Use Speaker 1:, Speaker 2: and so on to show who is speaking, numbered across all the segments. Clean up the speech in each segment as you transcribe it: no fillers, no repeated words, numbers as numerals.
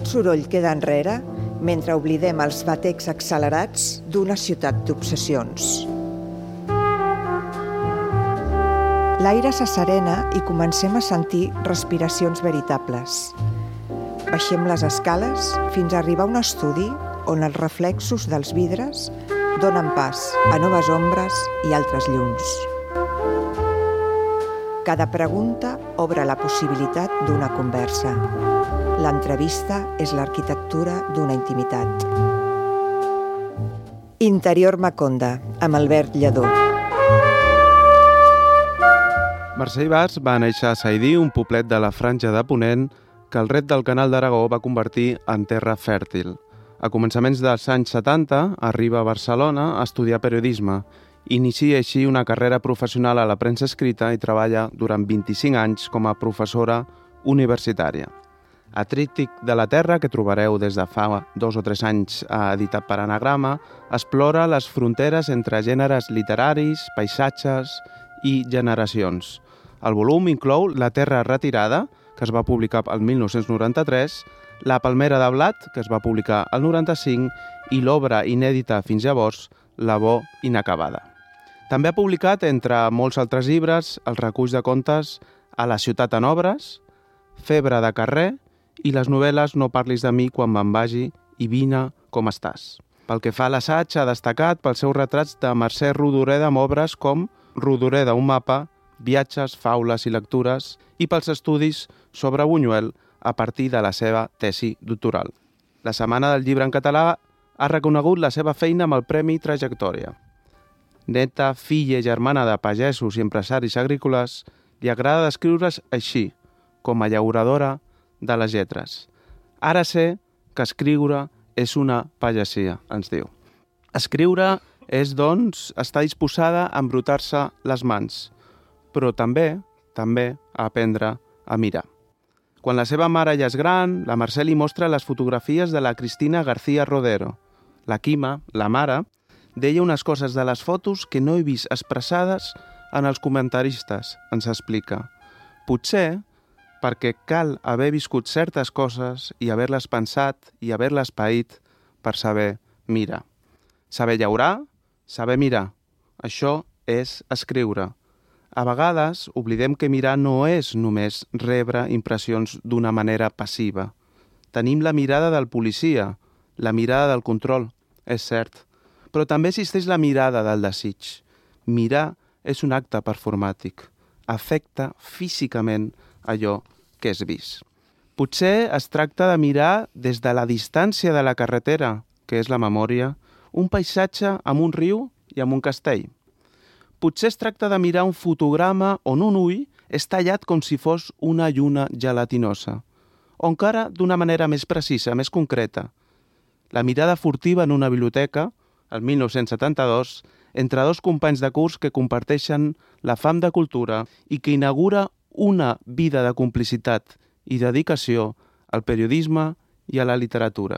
Speaker 1: Tot soroll queda enrere mentre oblidem els batecs accelerats d'una ciutat d'obsessions. L'aire s'asserena i comencem a sentir respiracions veritables. Baixem les escales fins a arribar a un estudi on els reflexos dels vidres donen pas a noves ombres i altres llums. Cada pregunta obre la possibilitat d'una conversa. L'entrevista és l'arquitectura d'una intimitat. Interior Maconda, amb Albert Lledó.
Speaker 2: Mercè Ibars va néixer a Saidí, un poblet de la Franja de Ponent, que el ret del Canal d'Aragó va convertir en terra fèrtil. A començaments dels anys 70 arriba a Barcelona a estudiar periodisme. Inicia així una carrera professional a la premsa escrita i treballa durant 25 anys com a professora universitària. A Tríptic de la Terra, que trobareu des de fa 2 o 3 anys editat per Anagrama, explora les fronteres entre gèneres literaris, paisatges i generacions. El volum inclou La Terra retirada, que es va publicar el 1993, La palmera de blat, que es va publicar el 95, i l'obra inèdita fins llavors, La Bo inacabada. També ha publicat, entre molts altres llibres, els reculls de contes A la ciutat en obres, Febre de carrer i les novel·les No parlis de mi quan me'n vagi i Vine com estàs. Pel que fa a l'assaig, ha destacat pels seus retrats de Mercè Rodoreda amb obres com Rodoreda, un mapa, viatges, faules i lectures, i pels estudis sobre Buñuel a partir de la seva tesi doctoral. La Setmana del Llibre en Català ha reconegut la seva feina amb el Premi Trajectòria. Neta, filla i germana de pagesos i empresaris agrícoles, li agrada descriure's així, com a llauradora de les lletres. Ara sé que escriure és una pagesia, ens diu. Escriure és, doncs, estar disposada a embrutar-se les mans, però també a aprendre a mirar. Quan la seva mare ja és gran, la Mercè li mostra les fotografies de la Cristina García Rodero. La Quima, la mare, deia unes coses de les fotos que no he vist expressades en els comentaristes, ens explica. Potser perquè cal haver viscut certes coses i haver-les pensat i haver-les paït per saber mirar. Saber llaurar, saber mirar. Això és escriure. A vegades oblidem que mirar no és només rebre impressions d'una manera passiva. Tenim la mirada del policia, la mirada del control, és cert, però també existeix la mirada del desig. Mirar és un acte performàtic, afecta físicament allò que és vist. Potser es tracta de mirar des de la distància de la carretera, que és la memòria, un paisatge amb un riu i amb un castell. Potser es tracta de mirar un fotograma on un ull és tallat com si fos una lluna gelatinosa, o encara d'una manera més precisa, més concreta. La mirada furtiva en una biblioteca, el 1972, entre 2 companys de curs que comparteixen la fam de cultura i que inaugura una vida de complicitat i dedicació al periodisme i a la literatura.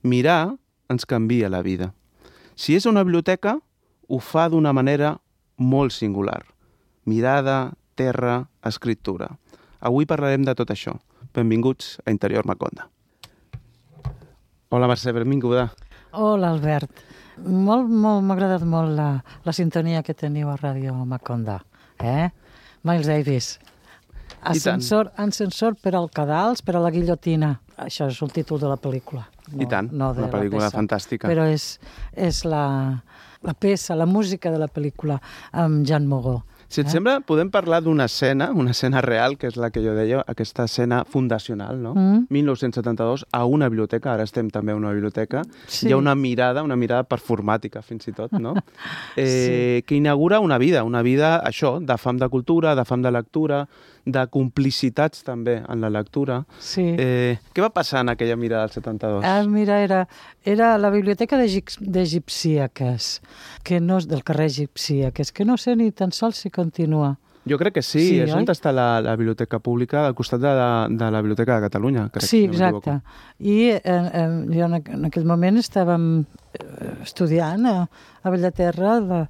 Speaker 2: Mirar ens canvia la vida. Si és una biblioteca, ho fa d'una manera molt singular. Mirada, terra, escriptura. Avui parlarem de tot això. Benvinguts a Interior Maconda. Hola Mercè, benvinguda.
Speaker 3: Hola Albert. M'ha agradat molt la sintonia que teniu a Ràdio Maconda. Miles Davis. Ascensor per al cadals, per a la guillotina. Això és el títol de la pel·lícula.
Speaker 2: I tant, una pel·lícula fantàstica.
Speaker 3: Però és la peça, la música de la pel·lícula amb Jean Moreau.
Speaker 2: Si et sembla, podem parlar d'una escena real, que és la que jo deia, aquesta escena fundacional, no? 1972, a una biblioteca, ara estem també a una biblioteca, sí. Hi ha una mirada performàtica, fins i tot, no? Sí. Que inaugura una vida, això, de fam de cultura, de fam de lectura, de complicitats també en la lectura.
Speaker 3: Sí.
Speaker 2: Què va passar en aquella mirada del 72?
Speaker 3: Mira, era la biblioteca d'Egipcíaques, que no és del carrer Egipcíaques, que no sé ni tan sols si continua.
Speaker 2: Jo crec que sí, és on està la biblioteca pública, al costat de la Biblioteca de Catalunya. Crec,
Speaker 3: sí, exacte. I jo en aquell moment estàvem estudiant a Bellaterra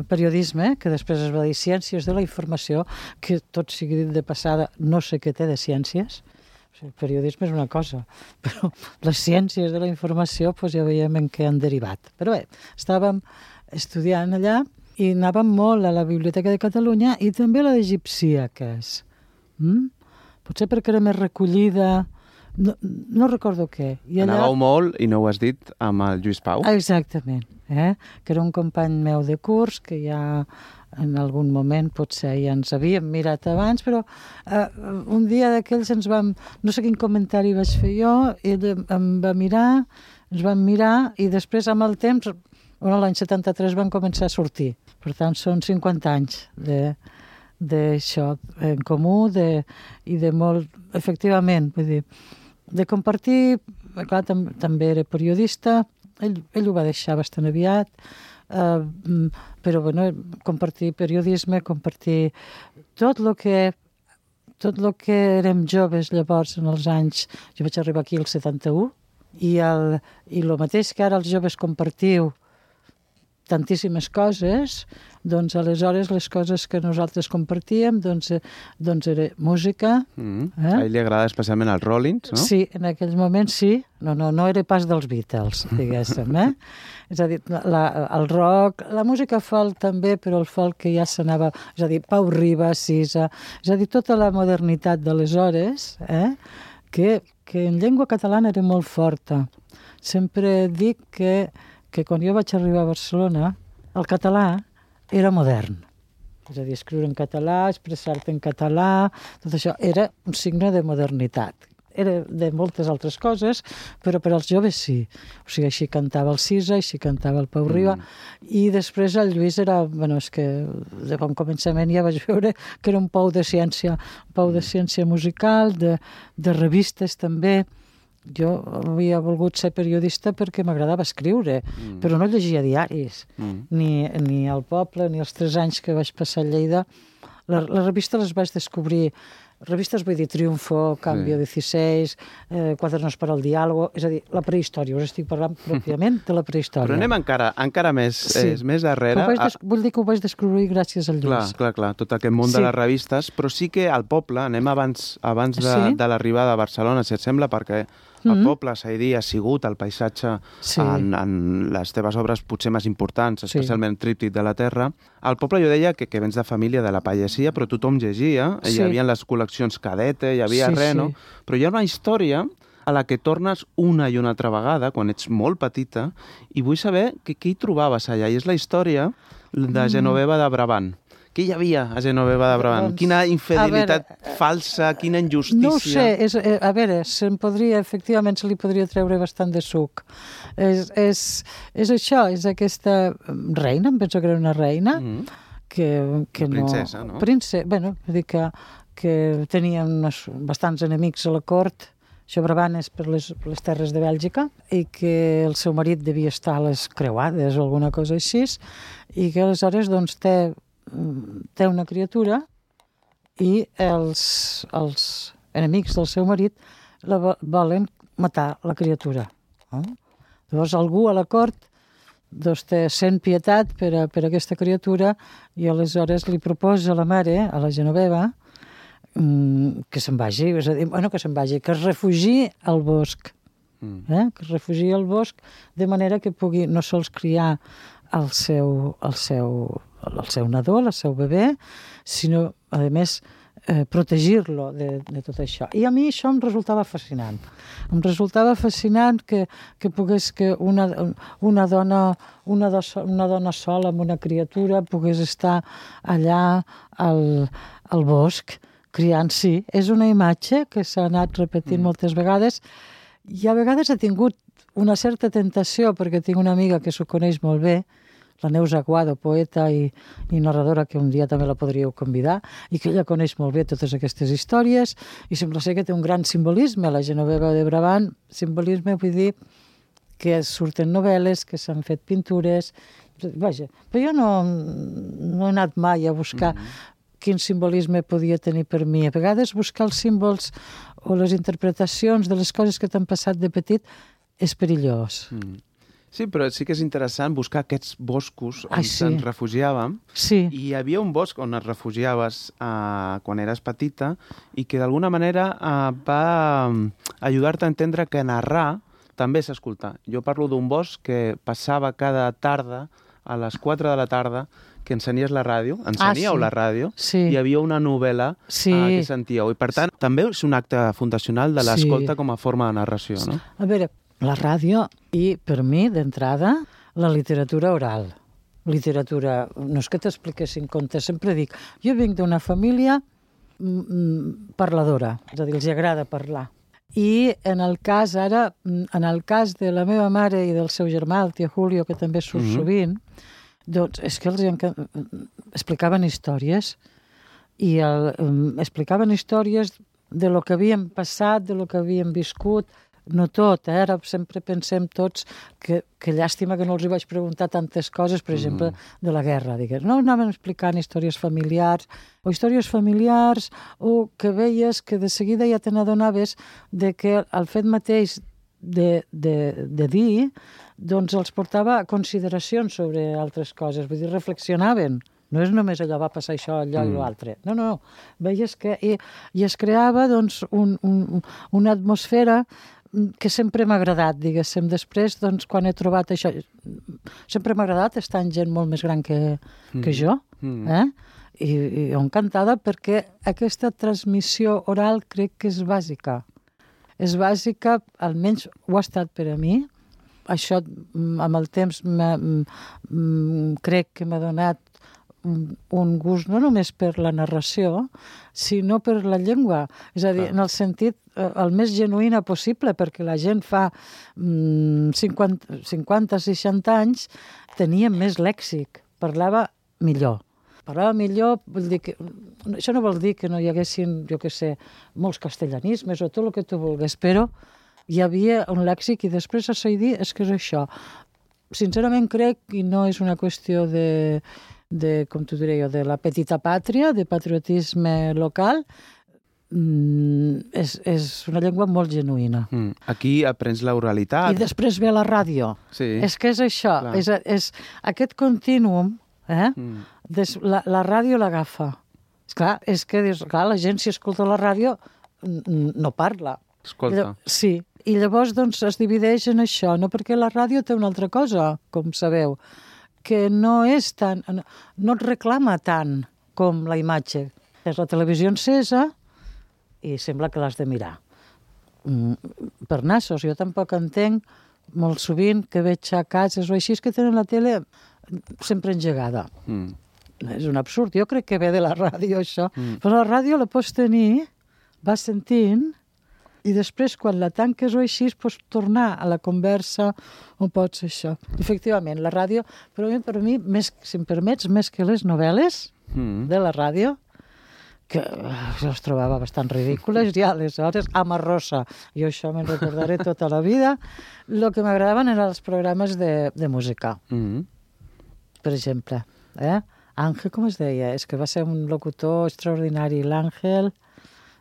Speaker 3: periodisme, que després es va dir Ciències de la Informació, que tot sigui dit de passada, no sé què té de ciències, El periodisme és una cosa, però les ciències de la informació doncs ja veiem en què han derivat. Però bé, estàvem estudiant allà i anàvem molt a la Biblioteca de Catalunya i també a la d'Egipcíaques. Potser perquè era més recollida, no recordo què.
Speaker 2: Anàveu molt, i no ho has dit, amb el Lluís Pau.
Speaker 3: Exactament, que era un company meu de curs, que ja en algun moment potser ja ens havíem mirat abans, però un dia d'aquells ens vam... No sé quin comentari vaig fer jo, ell em va mirar, ens vam mirar i després amb el temps, l'any 73 van començar a sortir. Per tant, són 50 anys d'això en comú i de molt, efectivament, vull dir, de compartir, clar, també era periodista, ell ho va deixar bastant aviat, però bueno, compartir periodisme, compartir tot el que érem joves llavors en els anys, jo vaig arribar aquí al 71, i el mateix que ara els joves compartiu tantíssimes coses, doncs aleshores les coses que nosaltres compartíem doncs era música.
Speaker 2: A ell li agrada especialment els Rollins, no?
Speaker 3: Sí, en aquells moments sí. No era pas dels Beatles, diguéssim, És a dir, el rock, la música folk també, però el folk que ja s'anava... És a dir, Pau Riba, Sisa... És a dir, tota la modernitat d'aleshores, que en llengua catalana era molt forta. Sempre dic que quan jo vaig arribar a Barcelona, el català era modern. És a dir, escriure en català, expressar-te en català, tot això era un signe de modernitat. Era de moltes altres coses, però per als joves sí. O sigui, així cantava el Sisa, així cantava el Pau Riba, i després el Lluís era... Bueno, és que de bon començament ja vaig veure que era un pou de ciència musical, de revistes també. Jo havia volgut ser periodista perquè m'agradava escriure, però no llegia diaris, ni El Poble, ni els 3 anys que vaig passar a Lleida. Les revistes les vaig descobrir, revistes vull dir Triunfo, Cambio 16, Quadernos para el Diálogo, és a dir, la prehistòria, us estic parlant pròpiament de la prehistòria.
Speaker 2: Però anem encara més darrere.
Speaker 3: Vull dir que ho vaig descobrir gràcies al Lluís.
Speaker 2: Clar, tot aquest món de les revistes, però sí que al poble, anem abans de l'arribada a Barcelona, si et sembla, perquè el poble, Saidí, ha sigut el paisatge en les teves obres potser més importants, especialment Tríptic de la Terra. Al poble jo deia que vens de família de la pagesia, però tothom llegia, hi havia les col·leccions Cadete, hi havia Reno, però hi ha una història a la que tornes una i una altra vegada, quan ets molt petita, i vull saber què hi trobaves allà, i és la història de Genoveva de Brabant. Què hi havia a Genoveva de Brabant? Quina infidelitat falsa, quina injustícia...
Speaker 3: No ho sé, a veure, efectivament se li podria treure bastant de suc. És això, és aquesta reina, em penso que era una reina, que
Speaker 2: princesa, no?
Speaker 3: Bueno, vull dir que tenia bastants enemics a la cort, això Brabant és per les terres de Bèlgica, i que el seu marit devia estar a les creuades o alguna cosa així, i que aleshores doncs té una criatura i els enemics del seu marit volen matar la criatura. Llavors algú a la cort sent pietat per aquesta criatura i aleshores li proposa a la mare, a la Genoveva, que se'n vagi, és a dir, que es refugi al bosc. Que es refugi al bosc de manera que pugui no sols criar el seu nadó, el seu bebè, sinó, a més, protegir-lo de tot això. I a mi això em resultava fascinant. Em resultava fascinant que pogués que una dona sola amb una criatura pogués estar allà al bosc criant. Sí, és una imatge que s'ha anat repetint moltes vegades i a vegades ha tingut una certa tentació, perquè tinc una amiga que s'ho coneix molt bé, la Neus Aguado, poeta i narradora, que un dia també la podríeu convidar, i que ella coneix molt bé totes aquestes històries, i sembla ser que té un gran simbolisme, la Genoveva de Brabant. Simbolisme vull dir que surten novel·les, que s'han fet pintures... Vaja, però jo no he anat mai a buscar quin simbolisme podia tenir per mi. A vegades buscar els símbols o les interpretacions de les coses que t'han passat de petit és perillós.
Speaker 2: Sí, però sí que és interessant buscar aquests boscos on ens refugiàvem.
Speaker 3: Sí.
Speaker 2: I hi havia un bosc on et refugiaves quan eres petita i que d'alguna manera va ajudar-te a entendre que narrar també és escoltar. Jo parlo d'un bosc que passava cada tarda, a les 4 de la tarda, que encenies la ràdio, enceníeu la ràdio, i hi havia una novel·la que sentíeu. I per tant, també és un acte fundacional de l'escolta com a forma de narració, no?
Speaker 3: A veure, la ràdio i, per mi, d'entrada, la literatura oral. Literatura, no és que t'expliquessin contes, sempre dic, jo vinc d'una família parladora, és a dir, els agrada parlar. I en el cas de la meva mare i del seu germà, el tio Julio, que també surt sovint, doncs és que els explicaven històries i explicaven històries de lo que havíem passat, de lo que havíem viscut. No tot, ara sempre pensem tots que llàstima que no els hi vaig preguntar tantes coses, per exemple, de la guerra. No anaven explicant històries familiars o que veies que de seguida ja te n'adonaves de que el fet mateix de dir, doncs els portava a consideracions sobre altres coses, vull dir, reflexionaven. No és només allò, va passar això, allò i l'altre. No. Veies que... I es creava, doncs, una atmosfera que sempre m'ha agradat, diguéssim. Després, doncs, quan he trobat això... Sempre m'ha agradat estar amb gent molt més gran que jo, I encantada perquè aquesta transmissió oral crec que és bàsica. És bàsica, almenys ho ha estat per a mi. Això, amb el temps, crec que m'ha donat un gust no només per la narració, sinó per la llengua. És a dir, en el sentit el més genuïna possible, perquè la gent fa 50-60 anys tenia més lèxic, parlava millor. Vull dir que... Això no vol dir que no hi haguessin, jo què sé, molts castellanismes o tot el que tu vulguis, però hi havia un lèxic i després a Saidí és que és això. Sincerament crec, i no és una qüestió com t'ho diré jo, de la petita pàtria, de patriotisme local, és una llengua molt genuïna.
Speaker 2: Aquí aprens l'oralitat.
Speaker 3: I després ve la ràdio.
Speaker 2: Sí.
Speaker 3: És que és això, és aquest contínuum, la ràdio l'agafa. És que la gent, si escolta la ràdio, no parla.
Speaker 2: Escolta.
Speaker 3: Sí, i llavors doncs, es divideix en això, no? Perquè la ràdio té una altra cosa, com sabeu, que no és tan... no et reclama tant com la imatge. És la televisió encesa i sembla que l'has de mirar. Per nassos, jo tampoc entenc molt sovint que veig a cases o així que tenen la tele sempre engegada. És un absurd. Jo crec que ve de la ràdio, això. Però la ràdio la pots tenir, vas sentint, i després, quan la tanques o així, pots tornar a la conversa on pots això. Efectivament, la ràdio, per mi, si em permets, més que les novel·les de la ràdio, que les trobava bastant ridícules, ja aleshores, Amarrosa, jo això me'n recordaré tota la vida, el que m'agradaven eren els programes de música. Per exemple, Àngel, com es deia? És que va ser un locutor extraordinari, l'Àngel,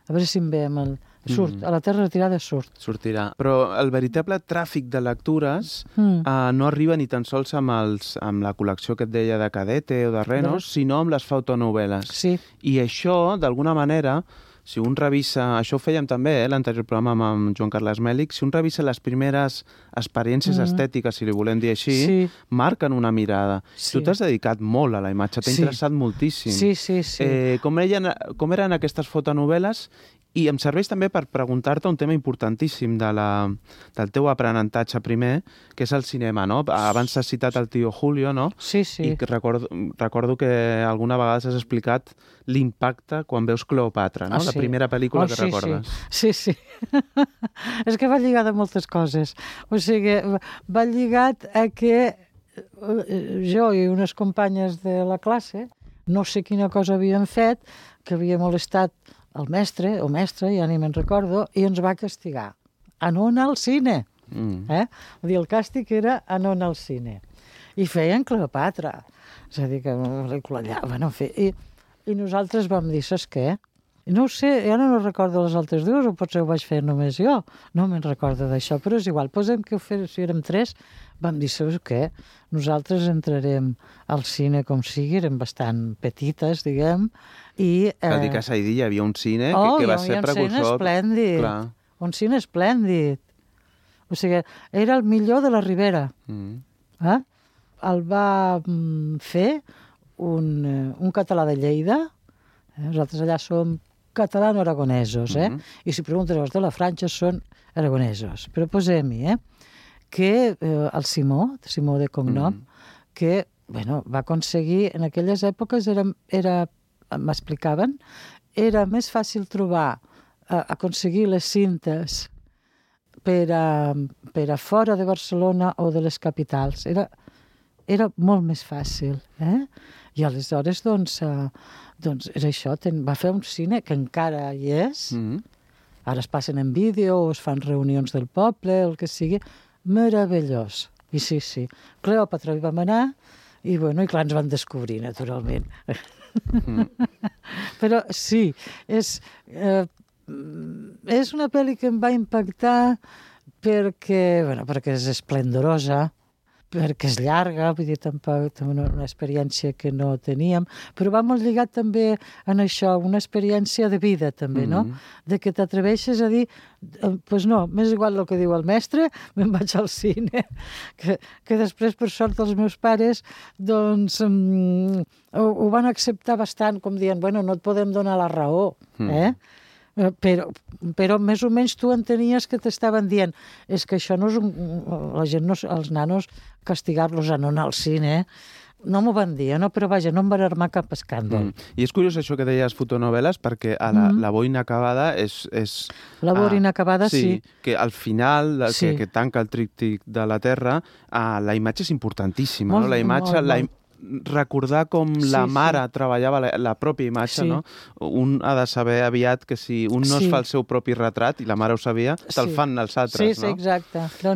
Speaker 3: a veure si em ve amb el... Surt, a la Terra retirada surt.
Speaker 2: Sortirà. Però el veritable tràfic de lectures no arriba ni tan sols amb la col·lecció que et deia de Cadete o de Renos, sinó amb les fotonovel·les.
Speaker 3: Sí.
Speaker 2: I això, d'alguna manera, si un revisa... Això ho fèiem també, l'anterior programa amb Joan Carles Mèlic. Si un revisa les primeres experiències estètiques, si li volem dir així, marquen una mirada. Sí. Tu t'has dedicat molt a la imatge, t'ha interessat moltíssim.
Speaker 3: Sí.
Speaker 2: Com eren aquestes fotonovel·les? I em serveix també per preguntar-te un tema importantíssim del teu aprenentatge primer, que és el cinema, no? Abans has citat el tio Julio, no?
Speaker 3: Sí.
Speaker 2: I recordo que alguna vegada has explicat l'impacte quan veus Cleopatra, no? La primera pel·lícula que recordes.
Speaker 3: Sí. És que va lligat a moltes coses. O sigui, va lligat a que jo i unes companyes de la classe, no sé quina cosa havíem fet, que havia molestat el mestre o mestra, ja ni me'n recordo, i ens va castigar a no anar al cine. Vull dir, el càstig era a no anar al cine. I feien Cleopatra. És a dir, que una pel·lícula allà, bueno, i nosaltres vam dir, saps què? No ho sé, ja no recordo les altres dues, o potser ho vaig fer només jo. No me'n recordo d'això, però és igual. Posem que si érem 3, vam dir, sabeu què? Nosaltres entrarem al cine com sigui, érem bastant petites, diguem, i...
Speaker 2: Cal dir que a Saidí hi havia un cine que va ser precursor.
Speaker 3: Hi havia un cine esplèndid.
Speaker 2: Clar.
Speaker 3: Un cine esplèndid. O sigui, era el millor de la Ribera. El va fer un català de Lleida. Nosaltres allà som catalano-aragonesos, i si preguntes els de la Franja són aragonesos. Però posem-hi, que el Simó de cognom, que va aconseguir, en aquelles èpoques m'explicaven, era més fàcil trobar, aconseguir les cintes per a fora de Barcelona o de les capitals. Era molt més fàcil. I aleshores, doncs era això. Va fer un cine que encara hi és. Ara es passen en vídeo o es fan reunions del poble, el que sigui. Meravellós. I sí. Cleòpatra hi vam anar i clar, ens van descobrir, naturalment. Però sí, és una pel·li que em va impactar perquè és esplendorosa, perquè és llarga, vull dir, tampoc una experiència que no teníem, però va molt lligat també en això, una experiència de vida també, no? De que t'atreveixes a dir, doncs no, m'és igual el que diu el mestre, me'n vaig al cine, que després, per sort, els meus pares, doncs, ho van acceptar bastant, com dient, no et podem donar la raó, però més o menys tu entenies que t'estaven dient és que això no és la gent, els nanos, castigar-los a no anar al cine, no m'ho van dir, però vaja, no em van armar cap escàndol.
Speaker 2: I és curiós això que deies fotonovel·les, perquè a la boina acabada és...
Speaker 3: La boina acabada, sí.
Speaker 2: Que al final, que tanca el tríptic de la Terra, la imatge és importantíssima, no? La imatge... recordar com la mare treballava la pròpia imatge, no? Un ha de saber aviat que si un no es fa el seu propi retrat, i la mare ho sabia, te'l fan els altres, no?
Speaker 3: Sí, exacte. Però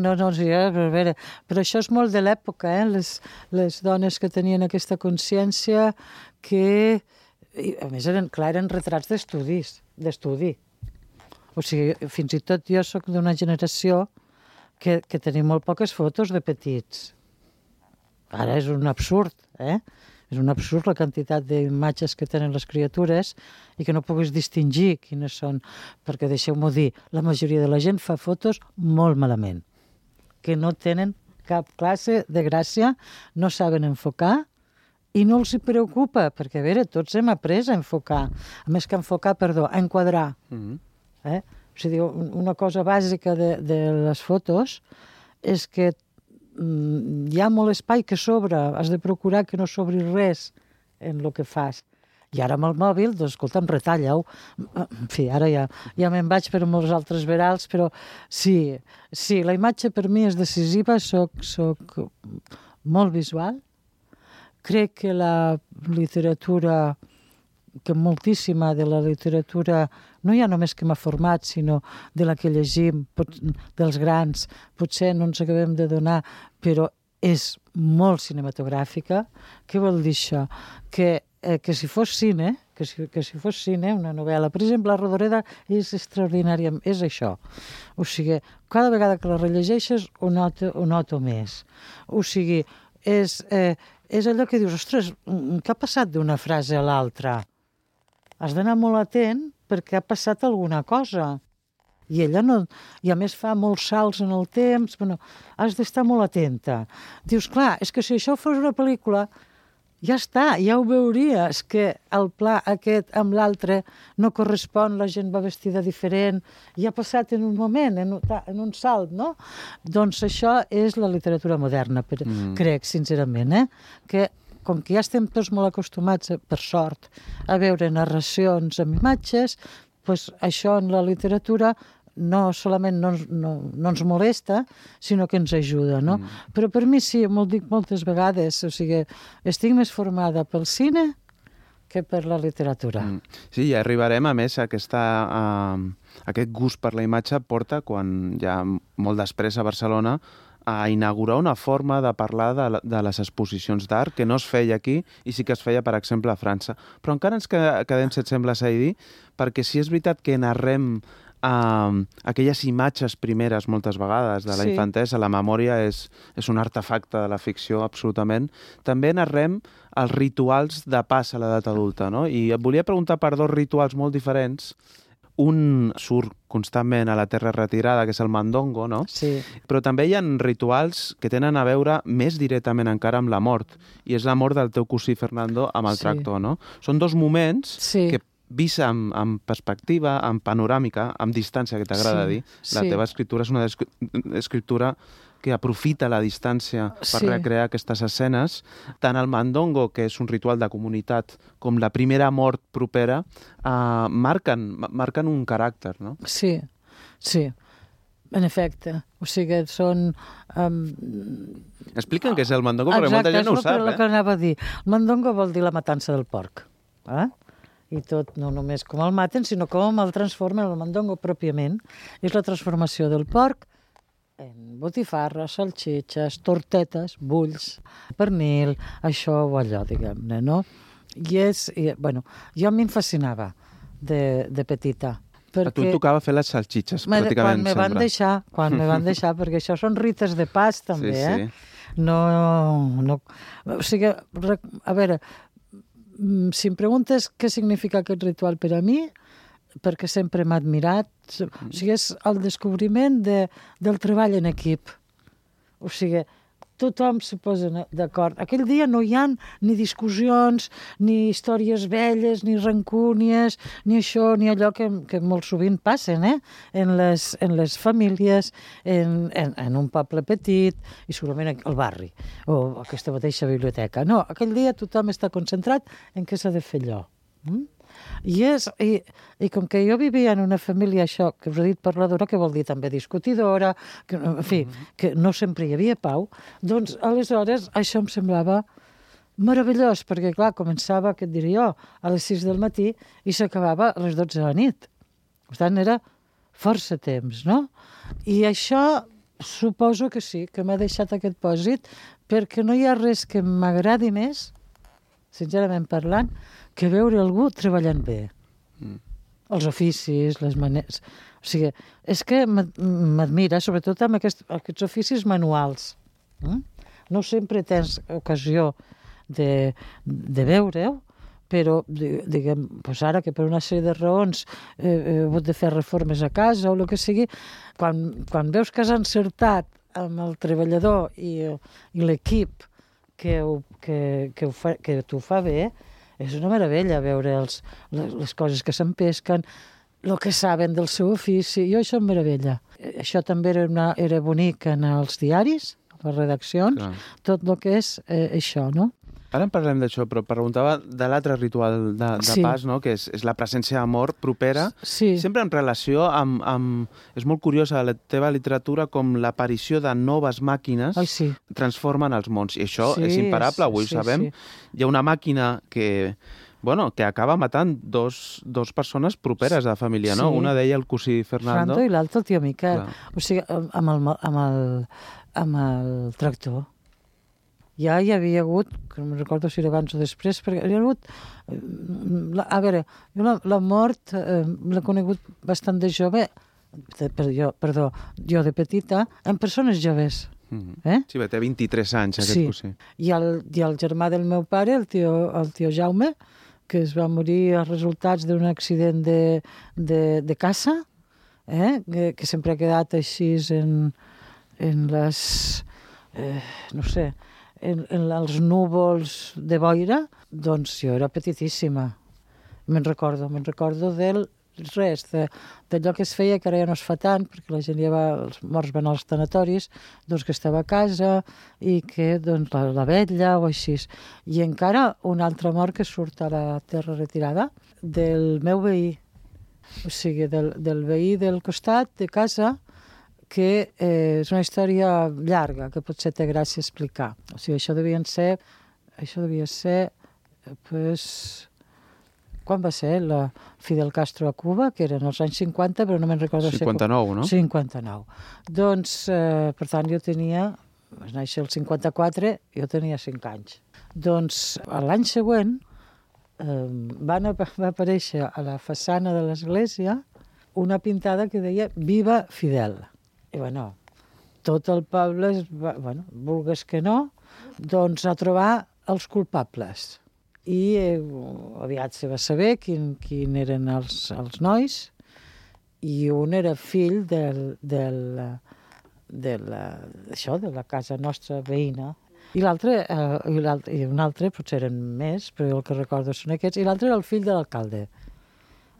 Speaker 3: això és molt de l'època, les dones que tenien aquesta consciència que, a més, eren retrats d'estudi. O sigui, fins i tot jo soc d'una generació que tenim molt poques fotos de petits. Ara és un absurd, És un absurd la quantitat d'imatges que tenen les criatures i que no puguis distingir quines són, perquè deixeu-m'ho dir, la majoria de la gent fa fotos molt malament, que no tenen cap classe de gràcia, no saben enfocar i no els hi preocupa, perquè, a veure, tots hem après a enfocar, a enquadrar. O sigui, una cosa bàsica de les fotos és que hi ha molt espai que sobra, has de procurar que no sobri res en el que fas. I ara amb el mòbil, doncs, escolta'm, retalla-ho. En fi, ara ja me'n vaig per molts altres verals, però sí, la imatge per mi és decisiva, soc molt visual. Crec que la literatura, que moltíssima de la literatura, no hi ha només que m'ha format, sinó de la que llegim, dels grans, potser no ens acabem de donar, però és molt cinematogràfica. Què vol dir això? Que si fos cine, una novel·la, per exemple, La Rodoreda és extraordinària, és això. O sigui, cada vegada que la rellegeixes ho noto més. O sigui, és allò que dius, ostres, què ha passat d'una frase a l'altra? Has d'anar molt atent perquè ha passat alguna cosa. I ella no... I a més fa molts salts en el temps, has d'estar molt atenta. Dius, clar, és que si això fos una pel·lícula, ja està, ja ho veuries, que el pla aquest amb l'altre no correspon, la gent va vestida diferent, i ha passat en un moment, en un salt, no? Doncs això és la literatura moderna, crec, sincerament, que com que ja estem tots molt acostumats, per sort, a veure narracions amb imatges, doncs això en la literatura no solament no ens molesta, sinó que ens ajuda, no? Però per mi sí, m'ho dic moltes vegades, o sigui, estic més formada pel cine que per la literatura.
Speaker 2: Sí, ja arribarem, a més, aquest gust per la imatge porta, quan ja molt després a Barcelona, a inaugurar una forma de parlar de les exposicions d'art que no es feia aquí i sí que es feia, per exemple, a França. Però encara ens quedem, si et sembla, Saidí, perquè sí és veritat que narrem aquelles imatges primeres moltes vegades de la infantesa. La memòria és un artefacte de la ficció, absolutament. També narrem els rituals de pas a l'edat adulta, no? I et volia preguntar per dos rituals molt diferents. Un surt constantment a la terra retirada, que és el mandongo, no?
Speaker 3: Sí.
Speaker 2: Però també hi ha rituals que tenen a veure més directament encara amb la mort, i és la mort del teu cosí Fernando amb el tractor, no? Són dos moments que, vist amb perspectiva, amb panoràmica, amb distància, que t'agrada dir, la teva escriptura és una escriptura que aprofita la distància per recrear aquestes escenes. Tant el mandongo, que és un ritual de comunitat, com la primera mort propera, marquen un caràcter, no?
Speaker 3: Sí, en efecte. O sigui, són...
Speaker 2: Expliquen què és el mandongo, perquè molta gent no ho sap.
Speaker 3: Exacte, és el que anava a dir. El mandongo vol dir la matança del porc. I tot, no només com el maten, sinó com el transformen, el mandongo pròpiament. És la transformació del porc en botifarres, salxitxes, tortetes, bulls, pernil, això o allò, diguem-ne, no? Jo m'hi fascinava de petita.
Speaker 2: A tu et tocava fer les salxitxes, pràcticament,
Speaker 3: Quan me van deixar, perquè això són rites de pas, també, No... O sigui, a veure, si em preguntes què significa aquest ritual per a mi, perquè sempre m'ha admirat, o sigui, és el descobriment del treball en equip. O sigui, tothom se posa d'acord. Aquell dia no hi ha ni discussions, ni històries velles, ni rancúnies, ni això, ni allò que molt sovint passen, en les famílies, en un poble petit, i segurament al barri, o aquesta mateixa biblioteca. No, aquell dia tothom està concentrat en què s'ha de fer allò. I com que jo vivia en una família, això que us he dit parladora, que vol dir també discutidora, que, en fi, que no sempre hi havia pau, doncs aleshores això em semblava meravellós, perquè clar, començava, què et diré jo, a les 6 del matí i s'acabava a les 12 de la nit. Per tant, era força temps, no? I això suposo que sí, que m'ha deixat aquest pòsit, perquè no hi ha res que m'agradi més, sincerament parlant, que veure algú treballant bé. Els oficis, les maneres... O sigui, és que m'admira, sobretot amb aquests oficis manuals. No sempre tens ocasió de veure-ho, però, diguem, ara que per una sèrie de raons he hagut de fer reformes a casa o el que sigui, quan veus que has encertat amb el treballador i l'equip que t'ho fa bé, és una meravella veure les coses que s'empesquen, el que saben del seu ofici. Jo això em meravella. Això també era bonic en els diaris, a les redaccions, tot el que és això, no?
Speaker 2: Ara en parlem d'això, però preguntava de l'altre ritual de pas, no? Que és la presència d'amor propera, sempre en relació amb... És molt curiosa la teva literatura com l'aparició de noves màquines transformen els mons. I això és imparable, avui ho sabem. Hi ha una màquina que acaba matant dos persones properes de la família, no? Una d'ella el cosí Fernando
Speaker 3: i l'altre el tio Miquel. O sigui, amb el tractor. Ja hi havia hagut, que no me'n recordo si era abans o després, perquè hi ha hagut... A veure, la mort l'he conegut bastant de jove, jo de petita, en persones joves.
Speaker 2: Sí, té 23 anys, aquest cosí.
Speaker 3: I el germà del meu pare, el tio Jaume, que es va morir als resultats d'un accident de caça, que sempre ha quedat així en les... no sé... en els núvols de boira, doncs jo era petitíssima. Me'n recordo d'allò que es feia, que ara ja no es fa tant, perquè la gent els morts van als tanatoris, doncs que estava a casa i que doncs, la vetlla o així. I encara una altra mort que surt a la terra retirada del meu veí, o sigui, del veí del costat de casa, que és una història llarga, que potser té gràcia explicar. O sigui, això devia ser, quan va ser la Fidel Castro a Cuba, que eren els anys 50, però no me'n recordo...
Speaker 2: 59, no?
Speaker 3: 59. Doncs, per tant, jo vaig néixer el 54, jo tenia 5 anys. Doncs, l'any següent va aparèixer a la façana de l'església una pintada que deia Viva Fidel. I bueno, tot el poble, vulgues que no, doncs a trobar els culpables. I aviat se va saber quin eren els nois, i un era fill de la casa nostra veïna, i un altre, potser eren més, però el que recordo són aquests, i l'altre era el fill de l'alcalde.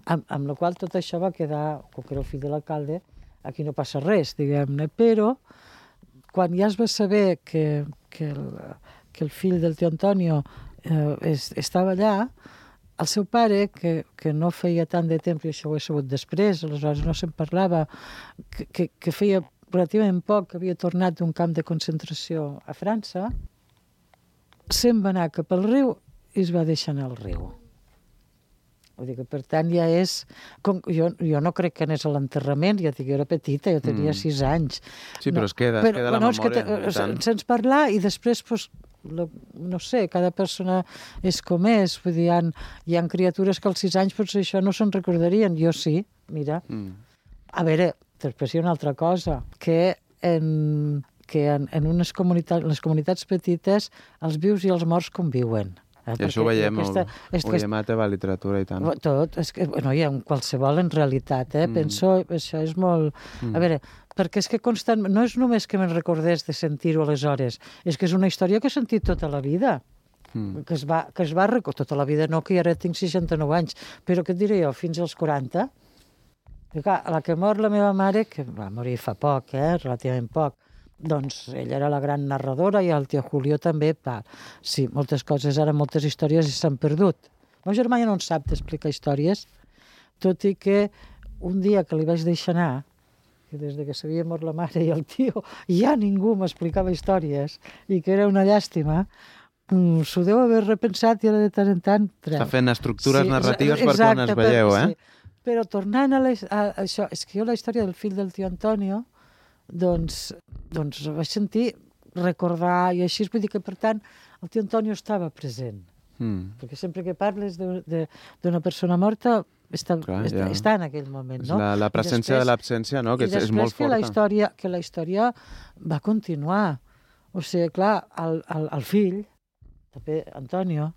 Speaker 3: Amb la qual tot això va quedar, com que era el fill de l'alcalde, aquí no passa res, diguem-ne, però quan ja es va saber que el fill del tio Antonio estava allà, el seu pare, que no feia tant de temps, i això ho he sabut després, aleshores no se'n parlava, que feia relativament poc que havia tornat d'un camp de concentració a França, se'n va anar cap al riu i es va deixar anar al riu. Vull dir que, per tant, ja és... Jo no crec que anés a l'enterrament, ja dic, jo era petita, jo tenia 6 anys.
Speaker 2: Sí, però es queda la memòria.
Speaker 3: Sense parlar, i després, no sé, cada persona és com és. Vull dir, hi ha criatures que als 6 anys potser això no se'n recordarien. Jo sí, mira. A veure, després hi ha una altra cosa, que en les comunitats petites els vius i els morts conviuen.
Speaker 2: I això ho veiem a la teva literatura i tant.
Speaker 3: Tot, és que, hi ha qualsevol en realitat, penso, això és molt... A veure, perquè és que constant... No és només que me'n recordés de sentir-ho aleshores, és que és una història que he sentit tota la vida, que es va recordar tota la vida, no, que ara tinc 69 anys, però què et diré jo, fins als 40? I clar, a la que mor la meva mare, que va morir fa poc, relativament poc, doncs ella era la gran narradora i el tio Julio també. Sí, moltes coses, ara moltes històries s'han perdut. El meu germà ja no en sap d'explicar històries, tot i que un dia que li vaig deixar anar, que des que s'havia mort la mare i el tio, ja ningú m'explicava històries i que era una llàstima, s'ho deu haver repensat i ara de tant en tant treu.
Speaker 2: Està fent estructures narratives per quan es veieu,
Speaker 3: sí. Però tornant a això, és que jo la història del fill del tio Antonio, doncs vaig sentir recordar, i així vull dir que, per tant, el tio Antonio estava present. Perquè sempre que parles d'una persona morta està en aquell moment, no?
Speaker 2: La presència de l'absència, no? Que és molt forta.
Speaker 3: I després que la història va continuar. O sigui, clar, el fill, també Antonio,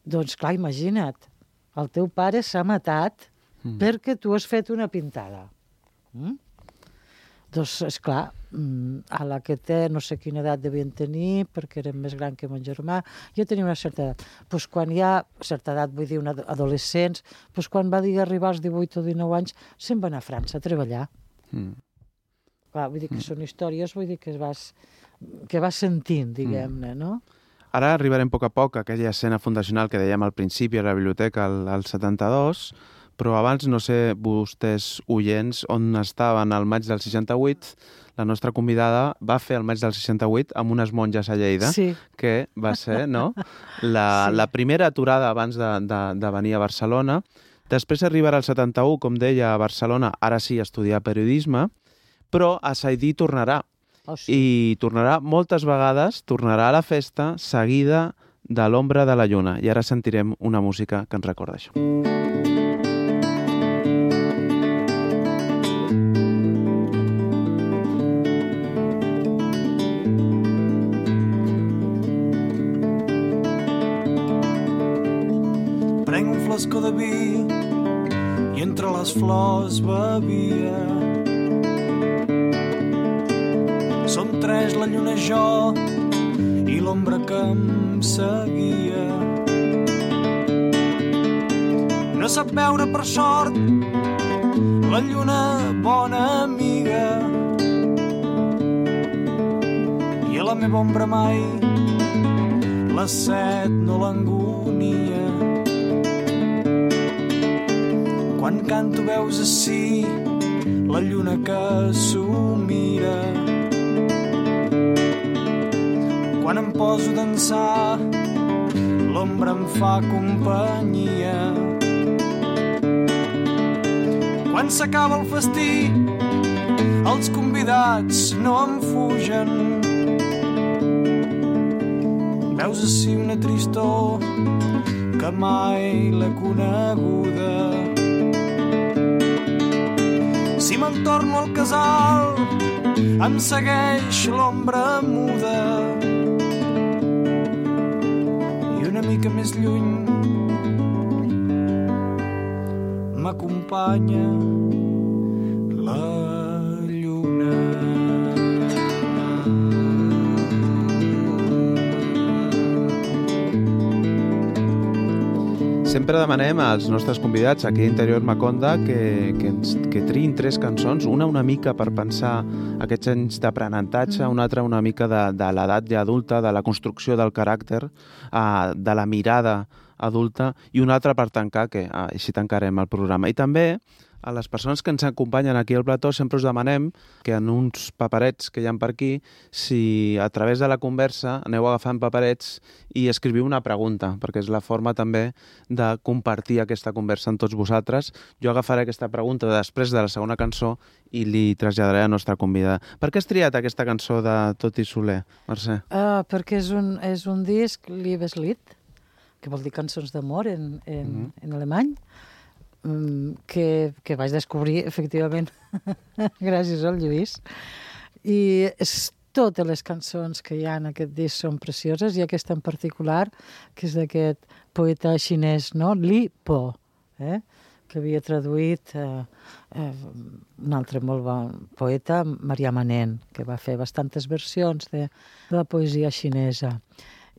Speaker 3: doncs clar, imagina't, el teu pare s'ha matat perquè tu has fet una pintada. Doncs, esclar, a la que té, no sé quina edat devien tenir, perquè era més gran que mon germà, jo tenia una certa edat. Doncs quan hi ha certa edat, vull dir, adolescents, doncs quan va arribar als 18 o 19 anys, se'n va anar a França a treballar. Clar, vull dir que són històries, vull dir que vas sentint, diguem-ne, no?
Speaker 2: Ara arribarem a poc a aquella escena fundacional que dèiem al principi a la biblioteca, al 72, però abans, no sé, vostès oients, on estaven al maig del 68, la nostra convidada va fer el maig del 68 amb unes monges a Lleida, que va ser, no?, la primera aturada abans de venir a Barcelona. Després arribarà al 71, com deia, a Barcelona, ara sí, a estudiar periodisme, però a Saidí tornarà. I tornarà moltes vegades, tornarà a la festa, seguida de l'ombra de la lluna. I ara sentirem una música que ens recorda això.
Speaker 4: Prenc un flascó de vi i entre les flors bevia. Som 3, la lluna, jo i l'ombra que em seguia. No sap veure per sort la lluna, bona amiga, i a la meva ombra mai la set no l'angonia. Quan canto veus ací la lluna que s'ho mira. Quan em poso a dansar l'ombra em fa companyia. Quan s'acaba el festí els convidats no em fugen. Veus ací una tristor que mai l'he coneguda. Si me'n torno al casal, em segueix l'ombra muda. I una mica més lluny m'acompanya la lluna.
Speaker 2: Sempre demanem als nostres convidats aquí a Interior Maconda que triïn 3 cançons, una mica per pensar aquests anys d'aprenentatge, una altra una mica de l'edat ja adulta, de la construcció del caràcter, de la mirada adulta, i una altra per tancar, que així tancarem el programa. I també a les persones que ens acompanyen aquí al plató sempre us demanem que en uns paperets que hi ha per aquí, si a través de la conversa aneu agafant paperets i escriviu una pregunta, perquè és la forma també de compartir aquesta conversa amb tots vosaltres. Jo agafaré aquesta pregunta després de la segona cançó i li traslladaré a la nostra convidada. Per què has triat aquesta cançó de Toti Soler, Mercè?
Speaker 3: Perquè és un disc, Liebeslied, que vol dir cançons d'amor en alemany, que vaig descobrir, efectivament, gràcies al Lluís. I totes les cançons que hi ha en aquest disc són precioses, i aquesta en particular, que és d'aquest poeta xinès, no? Li Po, que havia traduït un altre molt bon poeta, Marià Manent, que va fer bastantes versions de la poesia xinesa.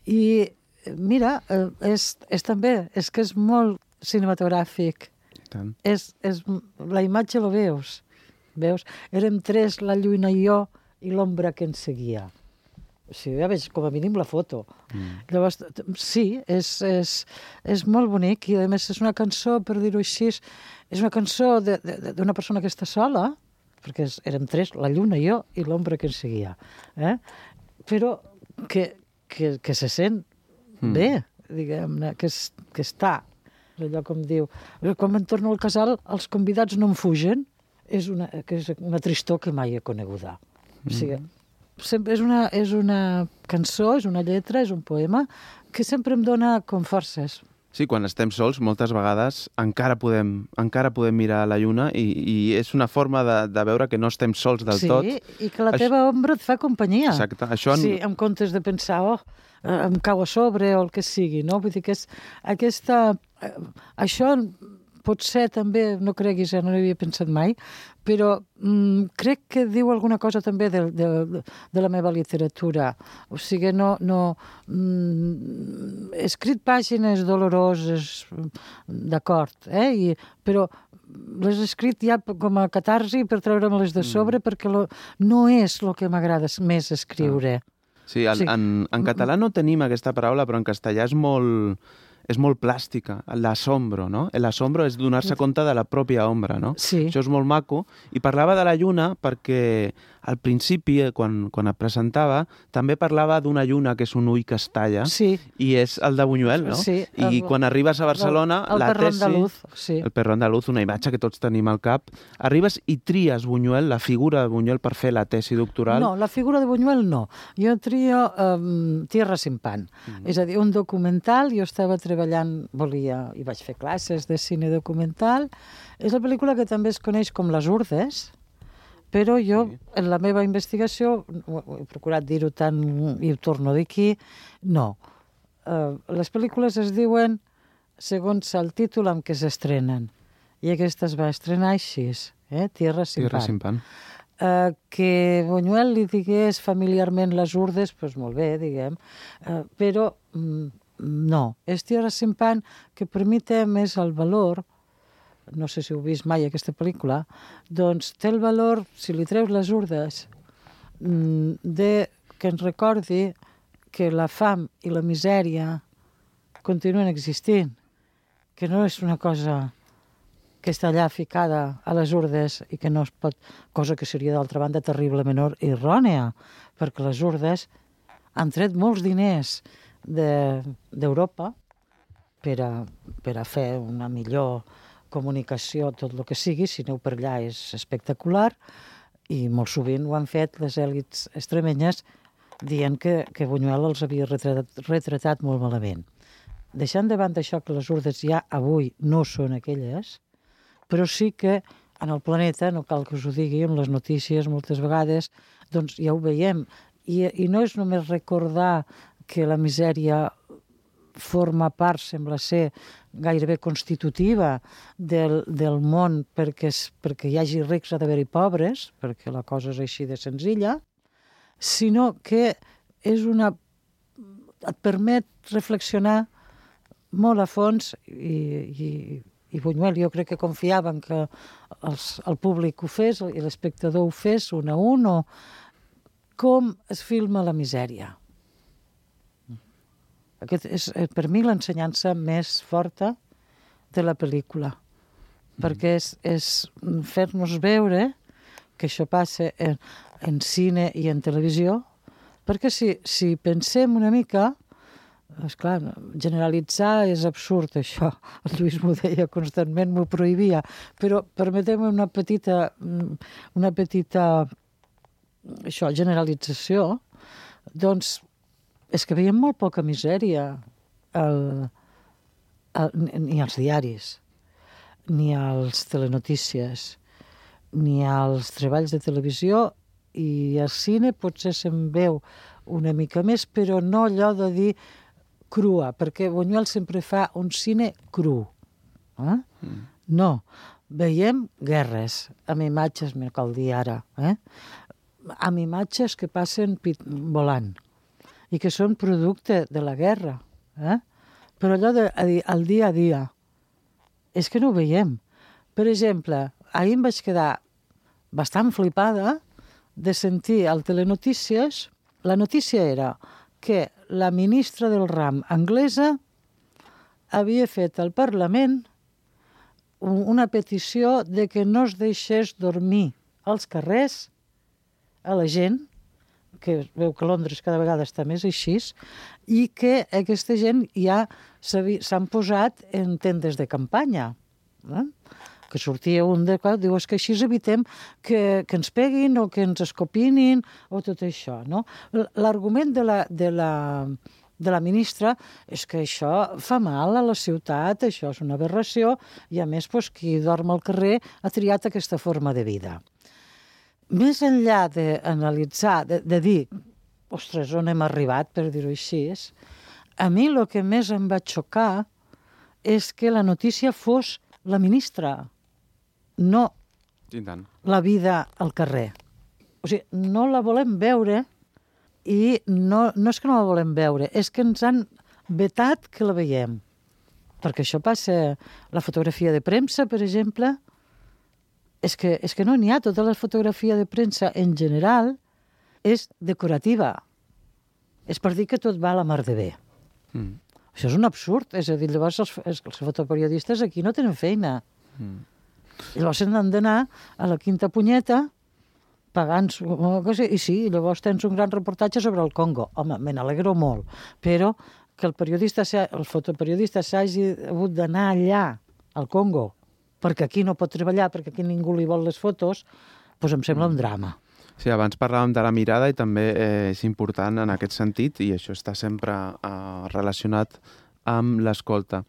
Speaker 3: I mira, és també, és que és molt cinematogràfic. La imatge la veus? Érem 3, la lluna i jo, i l'ombra que ens seguia. O sigui, ja veig com a mínim la foto. Llavors, sí, és molt bonic, i a més és una cançó, per dir-ho així, és una cançó d'una persona que està sola, perquè érem 3, la lluna i jo, i l'ombra que ens seguia. Però que se sent bé, diguem-ne, que està. Allò com diu, quan me'n torno al casal, els convidats no em fugen, és una tristor que mai he coneguda. O sigui, és una cançó, és una lletra, és un poema, que sempre em dona com forces.
Speaker 2: Sí, quan estem sols, moltes vegades encara podem mirar a la lluna, i és una forma de veure que no estem sols del tot. Sí, i
Speaker 3: que la teva ombra et fa companyia.
Speaker 2: Exacte.
Speaker 3: Sí, en comptes de pensar, em cau a sobre o el que sigui, no? Vull dir que això potser també, no creguis, no hi havia pensat mai, però crec que diu alguna cosa també de la meva literatura. O sigui, he escrit pàgines doloroses, d'acord, però les he escrit ja com a catarsi per treure-me-les de sobre, perquè no és el que m'agrada més escriure.
Speaker 2: Sí, en català no tenim aquesta paraula, però en castellà és molt plàstica, l'asombro, no? L'asombro és donar-se compte de la pròpia ombra, no?
Speaker 3: Sí.
Speaker 2: Això és molt maco. I parlava de la lluna perquè al principi, quan et presentava, també parlava d'una lluna que és un ull que es talla,
Speaker 3: sí,
Speaker 2: i és el de Buñuel, no?
Speaker 3: Sí,
Speaker 2: I quan arribes a Barcelona, la tesi...
Speaker 3: El
Speaker 2: perro andaluz, una imatge que tots tenim al cap. Arribes i tries Buñuel, la figura de Buñuel, per fer la tesi doctoral.
Speaker 3: No, la figura de Buñuel no. Jo trio Tierra sin pan. És a dir, un documental, jo estava treballant, i vaig fer classes de cine documental. És la pel·lícula que també es coneix com Les Urdes, però jo, en la meva investigació, he procurat dir-ho tant i ho torno a dir aquí, no. Les pel·lícules es diuen segons el títol amb què s'estrenen. I aquesta es va estrenar així, Tierra sin pan. Que Buñuel li digués familiarment Les Urdes, doncs molt bé, diguem, però no. És Tierra sin pan, que per mi té més el valor, no sé si heu vist mai aquesta pel·lícula, doncs té el valor, si li treus Les Urdes, que ens recordi que la fam i la misèria continuen existint, que no és una cosa que està allà ficada a les urdes i que no es pot, cosa que seria d'altra banda terriblement errònia, perquè les urdes han tret molts diners d'Europa per a fer una millor comunicació, tot el que sigui. Si aneu per allà és espectacular, i molt sovint ho han fet les èlits extremenyes dient que Buñuel els havia retratat molt malament. Deixant de banda això, que les urdes ja avui no són aquelles, però sí que en el planeta, no cal que us ho digui, en les notícies moltes vegades, doncs ja ho veiem. I no és només recordar que la misèria forma part, sembla ser, gairebé constitutiva del món perquè hi hagi rics ha d'haver-hi pobres, perquè la cosa és així de senzilla, sinó que et permet reflexionar molt a fons i Buñuel jo crec que confiaven que el públic ho fes i l'espectador ho fes un a un, o com es filma la misèria. Aquest és per mi l'ensenyança més forta de la pel·lícula, perquè és fer-nos veure que això passa en cine i en televisió, perquè si pensem una mica, esclar, generalitzar és absurd, això. El Lluís m'ho deia constantment, m'ho prohibia, però permetem una petita generalització, doncs és que veiem molt poca misèria ni als diaris, ni als telenotícies, ni als treballs de televisió, i al cine potser se'n veu una mica més, però no allò de dir crua, perquè Buñuel sempre fa un cine cru. No, veiem guerres, amb imatges, m'ho cal dir ara, amb imatges que passen volant i que són producte de la guerra. Però allò del dia a dia, és que no ho veiem. Per exemple, ahir em vaig quedar bastant flipada de sentir al telenotícies, la notícia era que la ministra del Ram anglesa havia fet al Parlament una petició de que no es deixés dormir als carrers a la gent, que veu que Londres cada vegada està més així, i que aquesta gent ja s'han posat en tendes de campanya. Que sortia un de diu, és que així evitem que ens peguin o que ens escopinin o tot això, no? L'argument de la ministra és que això fa mal a la ciutat, això és una aberració, i a més qui dorm al carrer ha triat aquesta forma de vida. Més enllà d'analitzar, de dir, ostres, on hem arribat, per dir-ho així, a mi el que més em va xocar és que la notícia fos la ministra, no la vida al carrer. O sigui, no la volem veure, i no és que no la volem veure, és que ens han vetat que la veiem. Perquè això passa, la fotografia de premsa, per exemple, és que no n'hi ha. Tota la fotografia de premsa en general és decorativa. És per dir que tot va a la mar de bé. Això és un absurd. És a dir, llavors els fotoperiodistes aquí no tenen feina. Llavors han d'anar a la quinta punyeta pagant... I sí, llavors tens un gran reportatge sobre el Congo. Home, me n'alegro molt. Però que el fotoperiodista s'hagi hagut d'anar allà, al Congo, perquè aquí no pot treballar, perquè aquí ningú li vol les fotos, doncs em sembla un drama.
Speaker 2: Sí, abans parlàvem de la mirada i també és important en aquest sentit, i això està sempre relacionat amb l'escolta.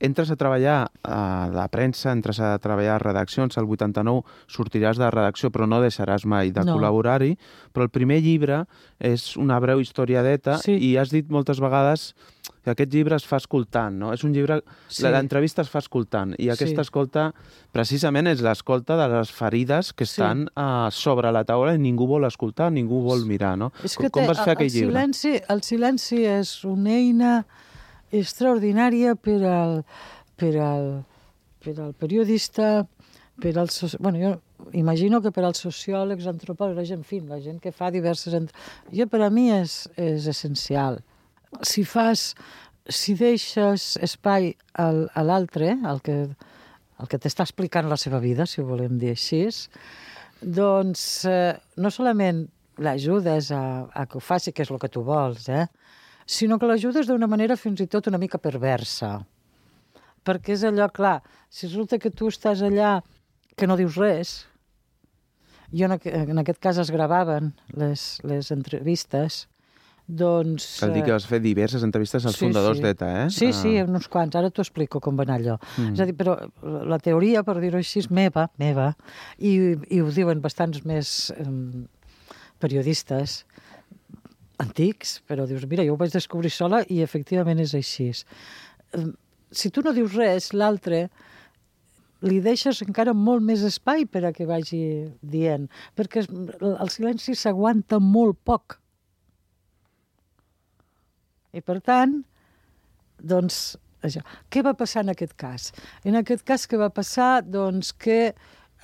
Speaker 2: Entres a treballar a la premsa, entres a treballar a redaccions, al 89 sortiràs de redacció, però no deixaràs mai de col·laborar-hi, però el primer llibre és una breu historiadeta, i has dit moltes vegades que aquest llibre es fa escoltant, no? És un llibre... L'entrevista es fa escoltant, i aquesta escolta precisament és l'escolta de les ferides que estan sobre la taula i ningú vol escoltar, ningú vol mirar, no? Com vas fer aquell llibre?
Speaker 3: El silenci és una eina extraordinària per al periodista, jo imagino que per als sociòlegs, antropòlegs, en fi, la gent que fa diverses... Per a mi és essencial. Si deixes espai a l'altre, el que t'està explicant la seva vida, si ho volem dir així, doncs no solament l'ajudes a que ho faci, que és el que tu vols, sinó que l'ajudes d'una manera fins i tot una mica perversa. Perquè és allò, clar, si resulta que tu estàs allà que no dius res, en aquest cas es gravaven les entrevistes, doncs...
Speaker 2: Cal dir que vas fer diverses entrevistes als fundadors d'ETA, eh?
Speaker 3: Sí, uns quants. Ara t'ho explico com va anar allò. És a dir, però la teoria, per dir-ho així, és meva, i ho diuen bastants més periodistes antics, però dius, mira, jo ho vaig descobrir sola i efectivament és així. Si tu no dius res, l'altre li deixes encara molt més espai per a que vagi dient, perquè el silenci s'aguanta molt poc. I per tant, doncs, això. Què va passar en aquest cas? En aquest cas, què va passar? Doncs que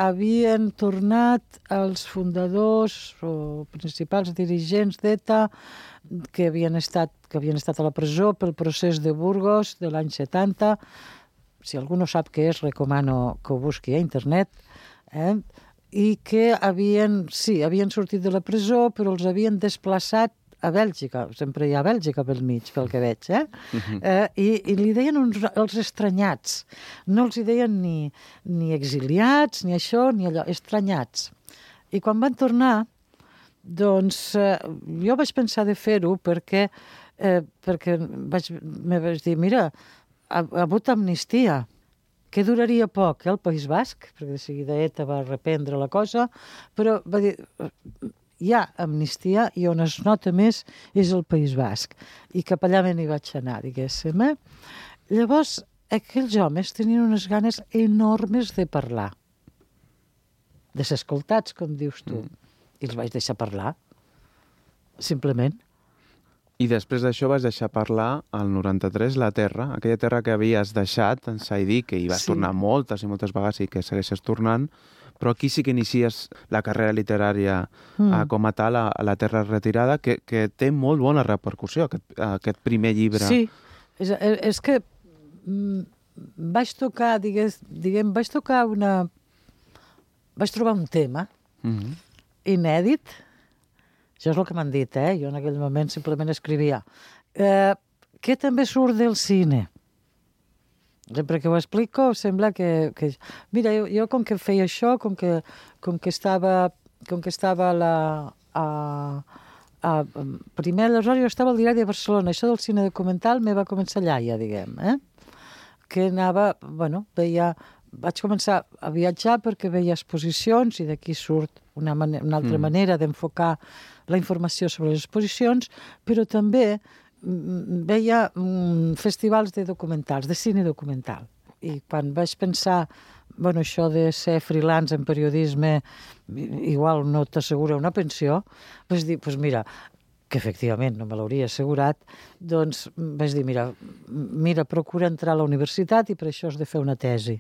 Speaker 3: havien tornat els fundadors o principals dirigents d'ETA que havien estat a la presó pel procés de Burgos de l'any 70. Si algú no sap què és, recomano que ho busqui a internet. I que havien sortit de la presó, però els havien desplaçat a Bèlgica, sempre hi ha Bèlgica pel mig, pel que veig, i li deien els estranyats. No els hi deien ni exiliats, ni això, ni allò, estranyats. I quan van tornar, doncs jo vaig pensar de fer-ho perquè me vaig dir, mira, ha hagut amnistia, que duraria poc, el País Basc, perquè de seguida ETA va reprendre la cosa, però va dir... Hi ha amnistia i on es nota més és el País Basc. I cap allà me n'hi vaig anar, diguéssim. Llavors, aquells homes tenien unes ganes enormes de parlar. De ser escoltats, com dius tu. I els vaig deixar parlar, simplement.
Speaker 2: I després d'això vas deixar parlar al 93 la terra, aquella terra que havies deixat en Saidí, que hi vas tornar moltes i moltes vegades i que segueixes tornant, però aquí sí que inicies la carrera literària com a tal, a la terra retirada, que té molt bona repercussió, aquest primer llibre.
Speaker 3: Sí, és que vaig tocar, vaig trobar un tema inèdit, això és el que m'han dit, jo en aquell moment simplement escrivia, que també surt del cine. Sempre que ho explico, sembla que... Mira, jo com que feia això, com que estava primer, aleshores jo estava al Diari de Barcelona, això del cine documental me va començar allà, ja diguem, que anava, vaig començar a viatjar perquè veia exposicions i d'aquí surt una altra manera d'enfocar la informació sobre les exposicions, però també veia festivals de documentals, de cine documental. I quan vaig pensar, això de ser freelance en periodisme igual no t'assegura una pensió, vaig dir, mira, que efectivament no me l'hauria assegurat, doncs vaig dir, mira, procura entrar a la universitat i per això has de fer una tesi.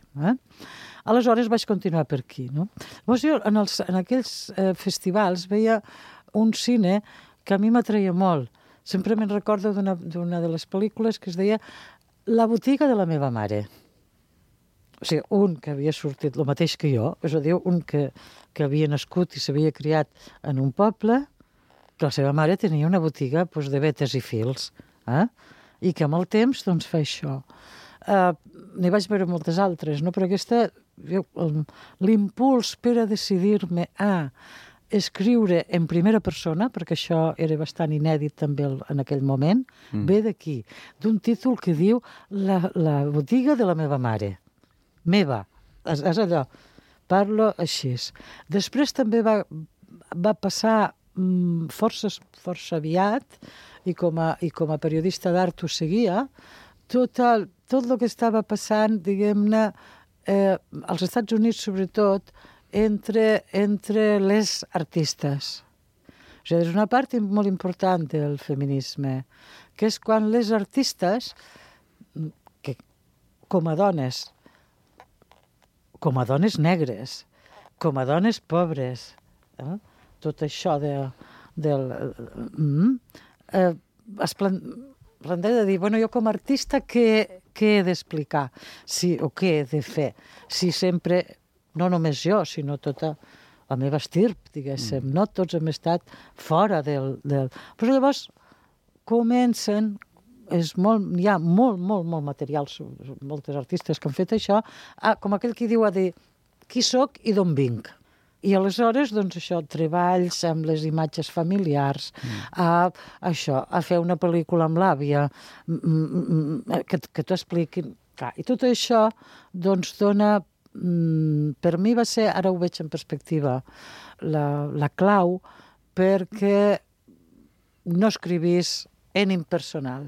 Speaker 3: Aleshores vaig continuar per aquí. No? Llavors jo en aquells festivals veia un cine que a mi m'atreia molt. Sempre me'n recordo d'una de les pel·lícules que es deia La botiga de la meva mare. O sigui, un que havia sortit el mateix que jo, és a dir, un que havia nascut i s'havia criat en un poble, però la seva mare tenia una botiga de vetes i fils, i que amb el temps fa això. N'hi vaig veure moltes altres, no? Però aquesta, l'impuls per a decidir-me a escriure en primera persona, perquè això era bastant inèdit també en aquell moment, ve d'aquí, d'un títol que diu La botiga de la meva mare. Meva. És allò. Parlo així. Després també va passar força aviat, i com a periodista d'art ho seguia, tot el que estava passant, diguem-ne, als Estats Units sobretot, entre les artistes. O sigui, és una part molt important del feminisme, que és quan les artistes, que, com a dones negres, com a dones pobres, tot això es planteja de dir, jo com a artista què he d'explicar? O què he de fer? Si sempre... No només jo, sinó tota la meva estirp, diguéssim. No tots hem estat fora del... Però llavors comencen, hi ha molt material, moltes artistes que han fet això, com aquell qui diu a dir qui soc i d'on vinc. I aleshores, doncs això, treballs amb les imatges familiars, a fer una pel·lícula amb l'àvia, que t'ho expliquin. Clar, i tot això, doncs, dona... per mi va ser, ara ho veig en perspectiva, la clau perquè no escrivís en impersonal.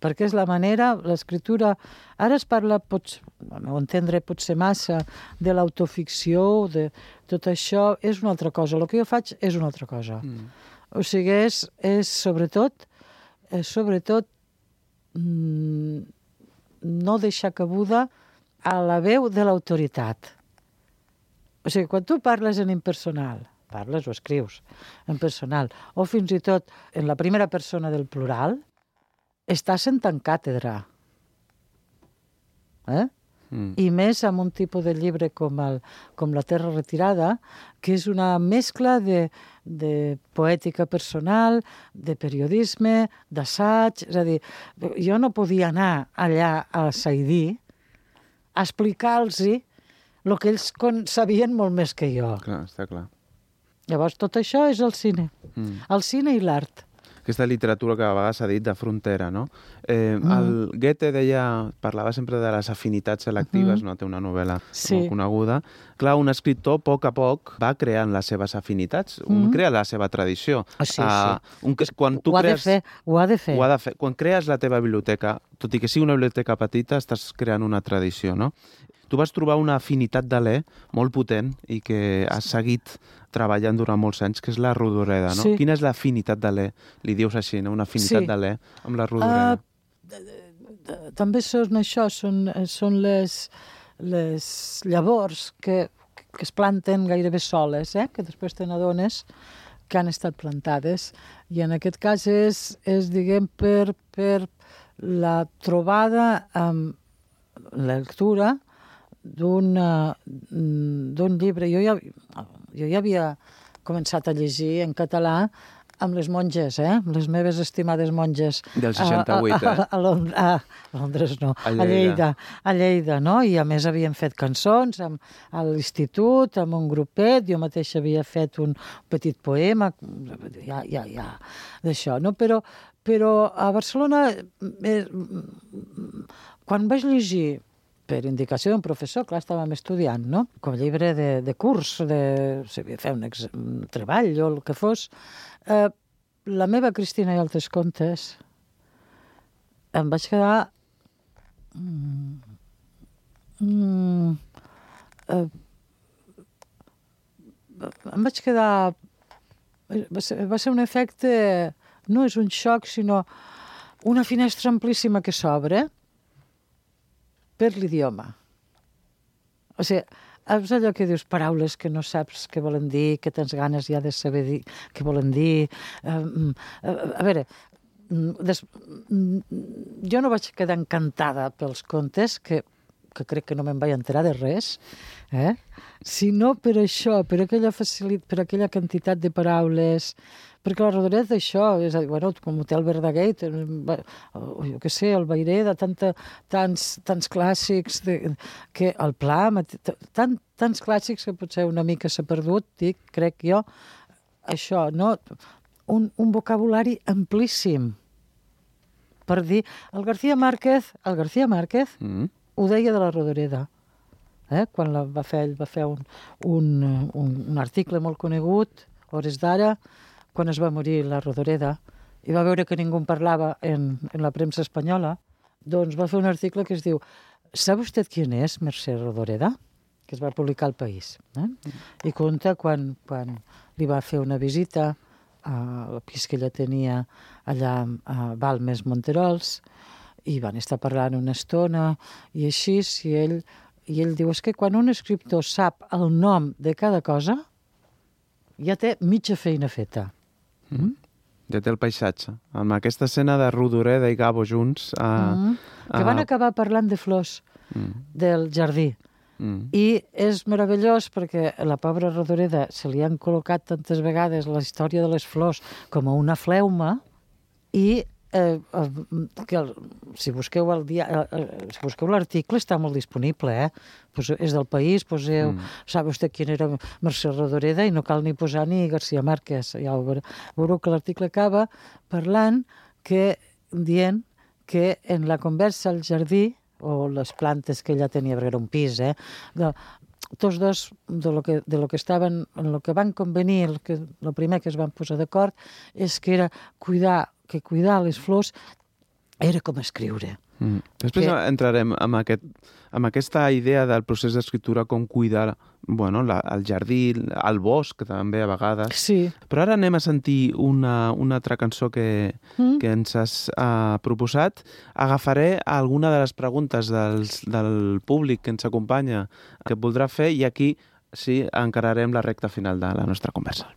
Speaker 3: Perquè és la manera, l'escriptura... Ara es parla, al meu entendre, potser massa, de l'autoficció, de tot això, és una altra cosa. El que jo faig és una altra cosa. O sigui, és sobretot no deixar cabuda a la veu de l'autoritat. O sigui, quan tu parles en impersonal, parles o escrius en personal, o fins i tot en la primera persona del plural, estàs sentant càtedra. I més amb un tipus de llibre com La Terra retirada, que és una mescla de poètica personal, de periodisme, d'assaig. És a dir, jo no podia anar allà a Saidí a explicar-los el que ells sabien molt més que jo.
Speaker 2: Clar, està clar.
Speaker 3: Llavors, tot això és el cine. El cine i l'art.
Speaker 2: Aquesta literatura que a vegades s'ha dit de frontera, no? El Goethe parlava sempre de les afinitats selectives, no? Té una novel·la molt coneguda. Clar, un escriptor, a poc, va creant les seves afinitats, crea la seva tradició. Quan tu
Speaker 3: ho ha de fer.
Speaker 2: Quan crees la teva biblioteca, tot i que sigui una biblioteca petita, estàs creant una tradició, no? Tu vas trobar una afinitat d'Alè molt potent i que has seguit treballant durant molts anys, que és la Rodoreda, no? Sí. Quina és l'afinitat d'Alè? Li dius així, no? Una afinitat d'Alè amb la Rodoreda.
Speaker 3: També són això, són les llavors que es planten gairebé soles, que després te n'adones que han estat plantades. I en aquest cas és diguem, per la trobada amb la lectura d'un llibre. Jo ja havia començat a llegir en català amb les monges, les meves estimades monges.
Speaker 2: Del 68,
Speaker 3: a Londres no, a Lleida, no? I a més havien fet cançons a l'institut, amb un grupet, jo mateixa havia fet un petit poema, d'això, no? Però a Barcelona, quan vaig llegir per indicació d'un professor, clar, estàvem estudiant, no? Com a llibre de curs, si havia de fer un treball o el que fos. La meva Cristina i altres contes, em vaig quedar... em vaig quedar... Va ser un efecte... No és un xoc, sinó una finestra amplíssima que s'obre per l'idioma. O sigui, és allò que dius paraules que no saps què volen dir, que tens ganes ja de saber dir què volen dir. A veure, jo no vaig quedar encantada pels contes, que crec que no me'n vaig enterar de res, sinó per això, per aquella quantitat de paraules. Perquè la Rodoreda d'això, és a dir, com Hotel Verdaguer, jo què sé, el Vaireda, tants clàssics, que el Pla, tants clàssics que potser una mica s'ha perdut, crec jo, això, no? Un vocabulari amplíssim. Per dir, el García Márquez ho deia de la Rodoreda. Quan va fer un article molt conegut, hores d'ara, quan es va morir la Rodoreda, i va veure que ningú en parlava en la premsa espanyola, doncs va fer un article que es diu ¿Sabe usted quién es Mercè Rodoreda? Que es va publicar al País. I conta quan li va fer una visita al pis que ella tenia allà a Balmes, Monterols, i van estar parlant una estona, i així, i ell diu, és que quan un escriptor sap el nom de cada cosa, ja té mitja feina feta.
Speaker 2: Ja té el paisatge. Amb aquesta escena de Rodoreda i Gabo junts...
Speaker 3: Que van acabar parlant de flors del jardí. I és meravellós perquè la pobra Rodoreda se li han col·locat tantes vegades la història de les flors com a una fleuma i si busqueu l'article està molt disponible, és del País, poseu, sap vostè qui era Mercè Rodoreda i no cal ni posar ni García Márquez, ja veureu que l'article acaba parlant dient que en la conversa al jardí, o les plantes que ella tenia, perquè era un pis, tots dos, de lo que estaven, en lo que van convenir, el primer que es van posar d'acord, és que era cuidar les flors era com escriure.
Speaker 2: Després entrarem amb aquesta idea del procés d'escriptura, com cuidar el jardí, el bosc, també a vegades.
Speaker 3: Sí.
Speaker 2: Però ara anem a sentir una altra cançó que ens has proposat. Agafaré alguna de les preguntes del públic que ens acompanya que voldrà fer i aquí sí encararem la recta final de la nostra conversa.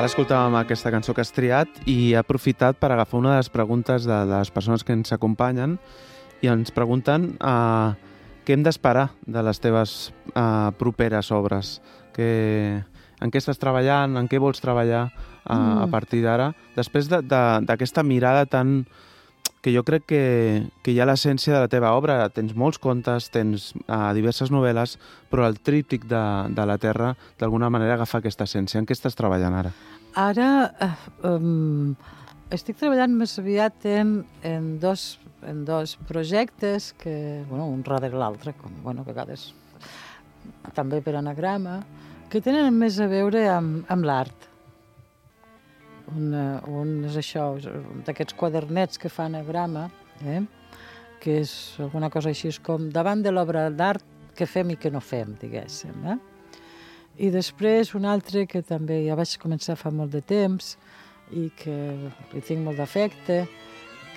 Speaker 2: Ara escoltàvem aquesta cançó que has triat i he aprofitat per agafar una de les preguntes de les persones que ens acompanyen i ens pregunten què hem d'esperar de les teves properes obres. En què estàs treballant, en què vols treballar a partir d'ara? Després d'aquesta mirada tan... que jo crec que hi ha l'essència de la teva obra. Tens molts contes, tens diverses novel·les, però el tríptic de la Terra, d'alguna manera, agafa aquesta essència. En què estàs treballant ara?
Speaker 3: Ara estic treballant més aviat en dos projectes que, un darrere l'altre, com a vegades també per anagrama, que tenen més a veure amb l'art. Un és això, d'aquests quadernets que fa anagrama, que és alguna cosa així com davant de l'obra d'art que fem i que no fem, diguéssim. I després un altre que també ja vaig començar fa molt de temps i que li tinc molt d'afecte,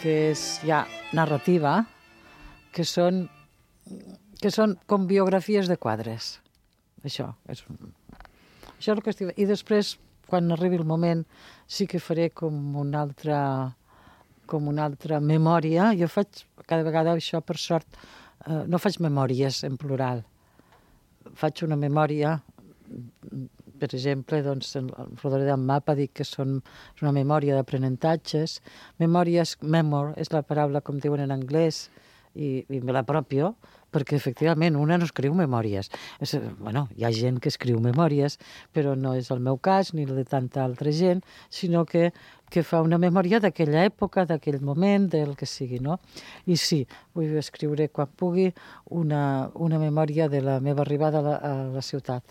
Speaker 3: que és ja narrativa, que són com biografies de quadres. Això és el que estic... I després, quan arribi el moment, sí que faré com una altra memòria. Jo faig cada vegada això, per sort, no faig memòries en plural. Faig una memòria, per exemple, el Rodoreda en Mapa dic que és una memòria d'aprenentatges. Memòries, memor, és la paraula com diuen en anglès, i me l'apropio, perquè efectivament una no escriu memòries. Bueno, hi ha gent que escriu memòries, però no és el meu cas ni el de tanta altra gent, sinó que fa una memòria d'aquella època, d'aquell moment, del que sigui, no? I sí, vull escriure quan pugui una memòria de la meva arribada a la ciutat.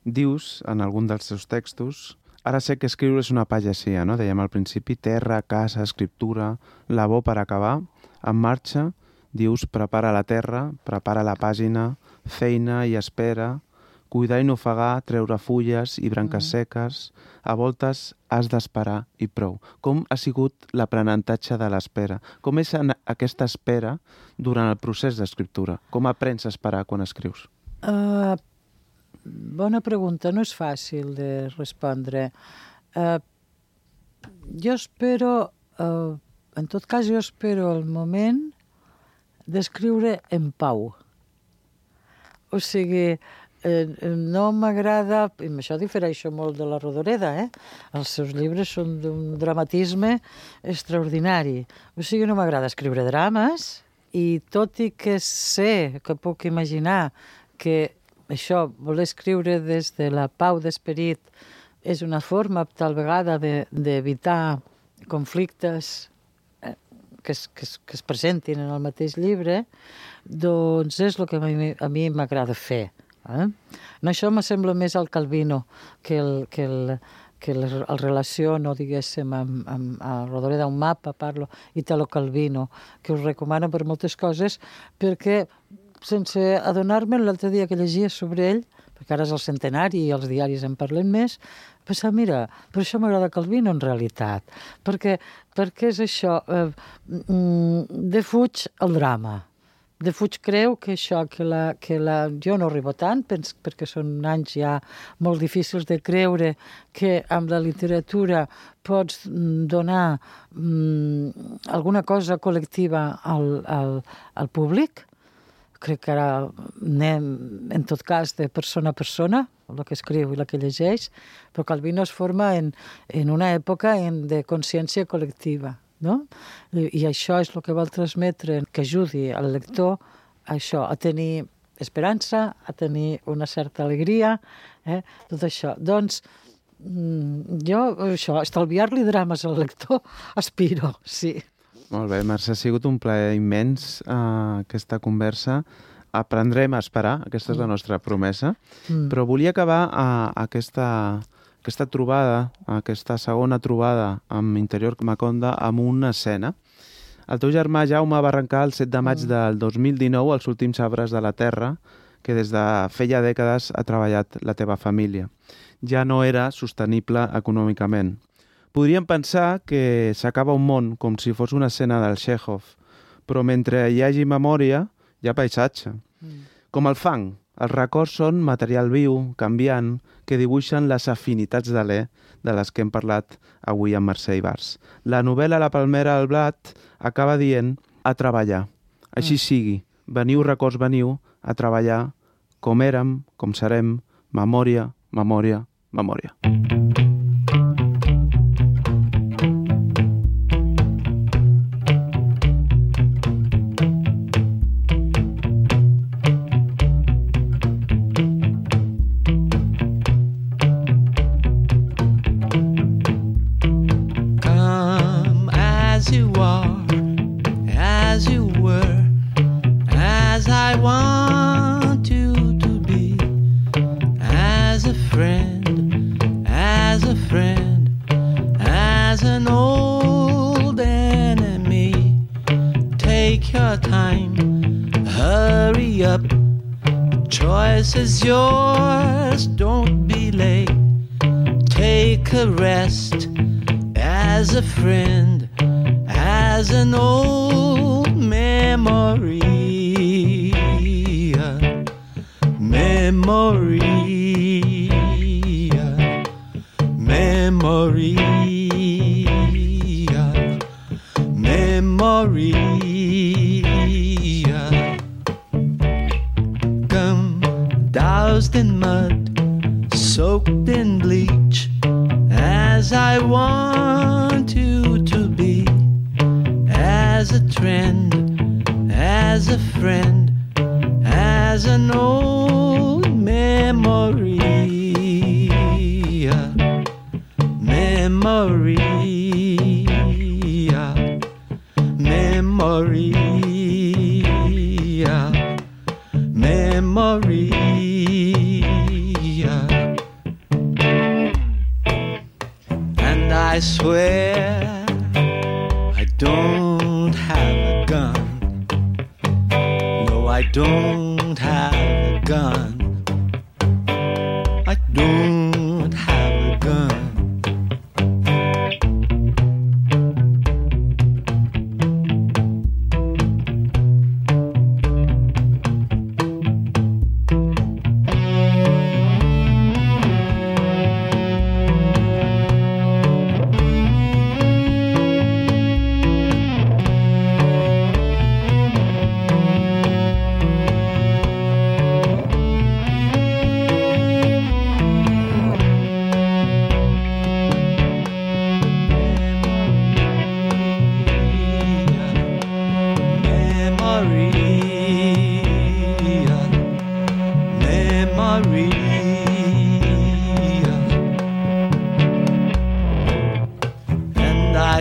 Speaker 2: Dius, en algun dels teus textos, ara sé que escriure és una pagesia, no? Dèiem al principi, terra, casa, escriptura, labor per acabar, en marxa, dius, prepara la terra, prepara la pàgina, feina i espera, cuidar i no ofegar, treure fulles i branques seques, a voltes has d'esperar i prou. Com ha sigut l'aprenentatge de l'espera? Com és aquesta espera durant el procés d'escriptura? Com aprens a esperar quan escrius?
Speaker 3: Bona pregunta, no és fàcil de respondre. Jo espero, en tot cas, jo espero el moment d'escriure en pau. O sigui, no m'agrada, i amb això difereixo molt de la Rodoreda, els seus llibres són d'un dramatisme extraordinari. O sigui, no m'agrada escriure drames, i tot i que sé, que puc imaginar que això, voler escriure des de la pau d'esperit, és una forma, tal vegada, d'evitar conflictes que es presentin en el mateix llibre, doncs és el que a mi m'agrada fer. Això me sembla més al Calvino, que el relaciono, diguéssim, amb Rodoreda, un mapa, parlo, Italo Calvino, que us recomano per moltes coses, perquè sense adonar-me, l'altre dia que llegia sobre ell, perquè ara és el centenari i els diaris en parlen més, pensar, mira, per això m'agrada Calvino en realitat, perquè és això, defuig el drama. Defuig creu que això, jo no arribo tant, perquè són anys ja molt difícils de creure que amb la literatura pots donar alguna cosa col·lectiva al públic. Crec que ara anem, en tot cas, de persona a persona, el que escriu i el que llegeix, però Calvino es forma en una època de consciència col·lectiva. No? I això és el que vol transmetre, que ajudi al lector a això, a tenir esperança, a tenir una certa alegria, tot això. Doncs jo, això, estalviar-li drames al lector, aspiro, sí.
Speaker 2: Molt bé, Mercè, ha sigut un plaer immens aquesta conversa. Aprendrem a esperar, aquesta és la nostra promesa, però volia acabar aquesta trobada, aquesta segona trobada amb Interior Maconda, amb una escena. El teu germà Jaume va arrencar el 7 de maig del 2019 els últims arbres de la terra que des de feia dècades ha treballat la teva família. Ja no era sostenible econòmicament. Podríem pensar que s'acaba un món com si fos una escena del Chekhov, però mentre hi hagi memòria, hi ha paisatge. Com el fang, els records són material viu, canviant, que dibuixen les afinitats de l'E de les que hem parlat avui amb Mercè Ibars. La novel·la La palmera al blat acaba dient a treballar. Així sigui, veniu records, veniu a treballar com érem, com serem, memòria, memòria, memòria.
Speaker 5: Is yours, don't be late. Take a rest as a friend, as an old memory. Memory. Memory. Memory. Doused in mud, soaked in bleach, as I want you to be, as a trend, as a friend, as an old memory. Memory. Memory. Memory. And I swear I don't have a gun. No, I don't have a gun. I don't have a gun.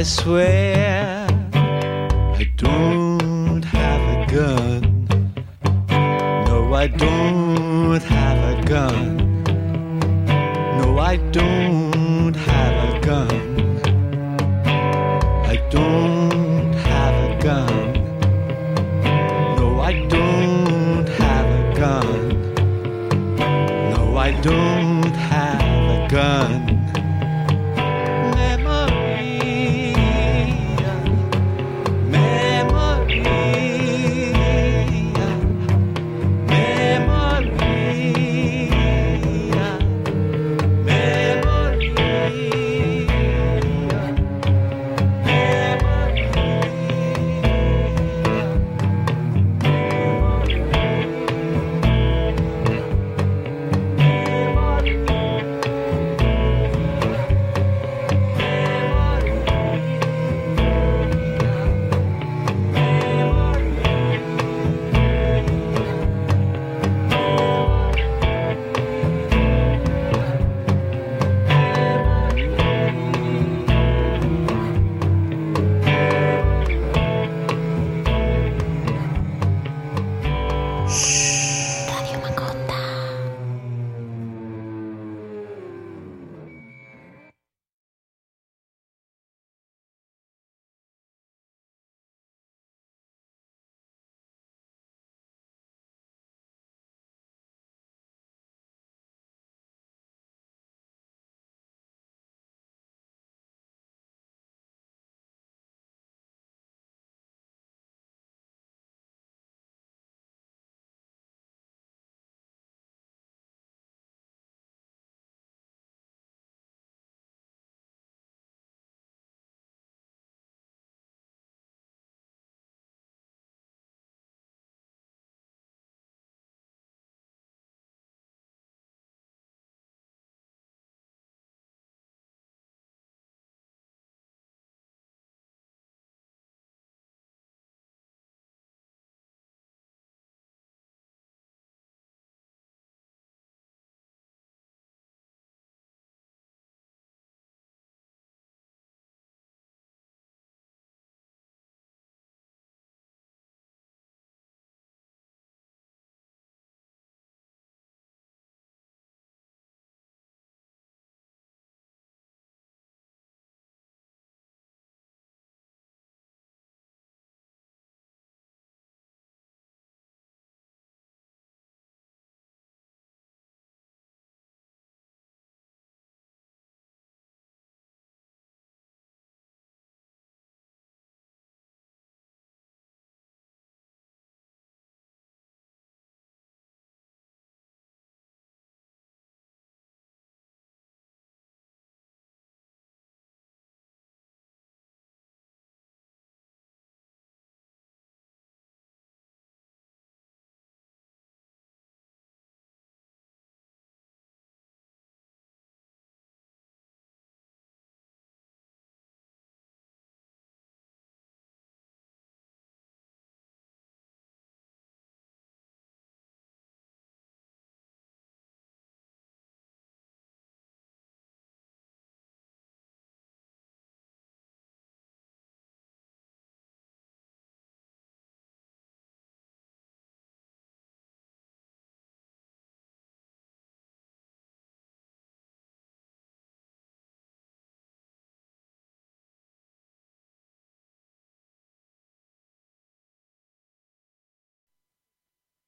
Speaker 5: I swear I don't have a gun. No, I don't have a gun. No, I don't have a gun. I don't have a gun. No, I don't have a gun. No, I don't.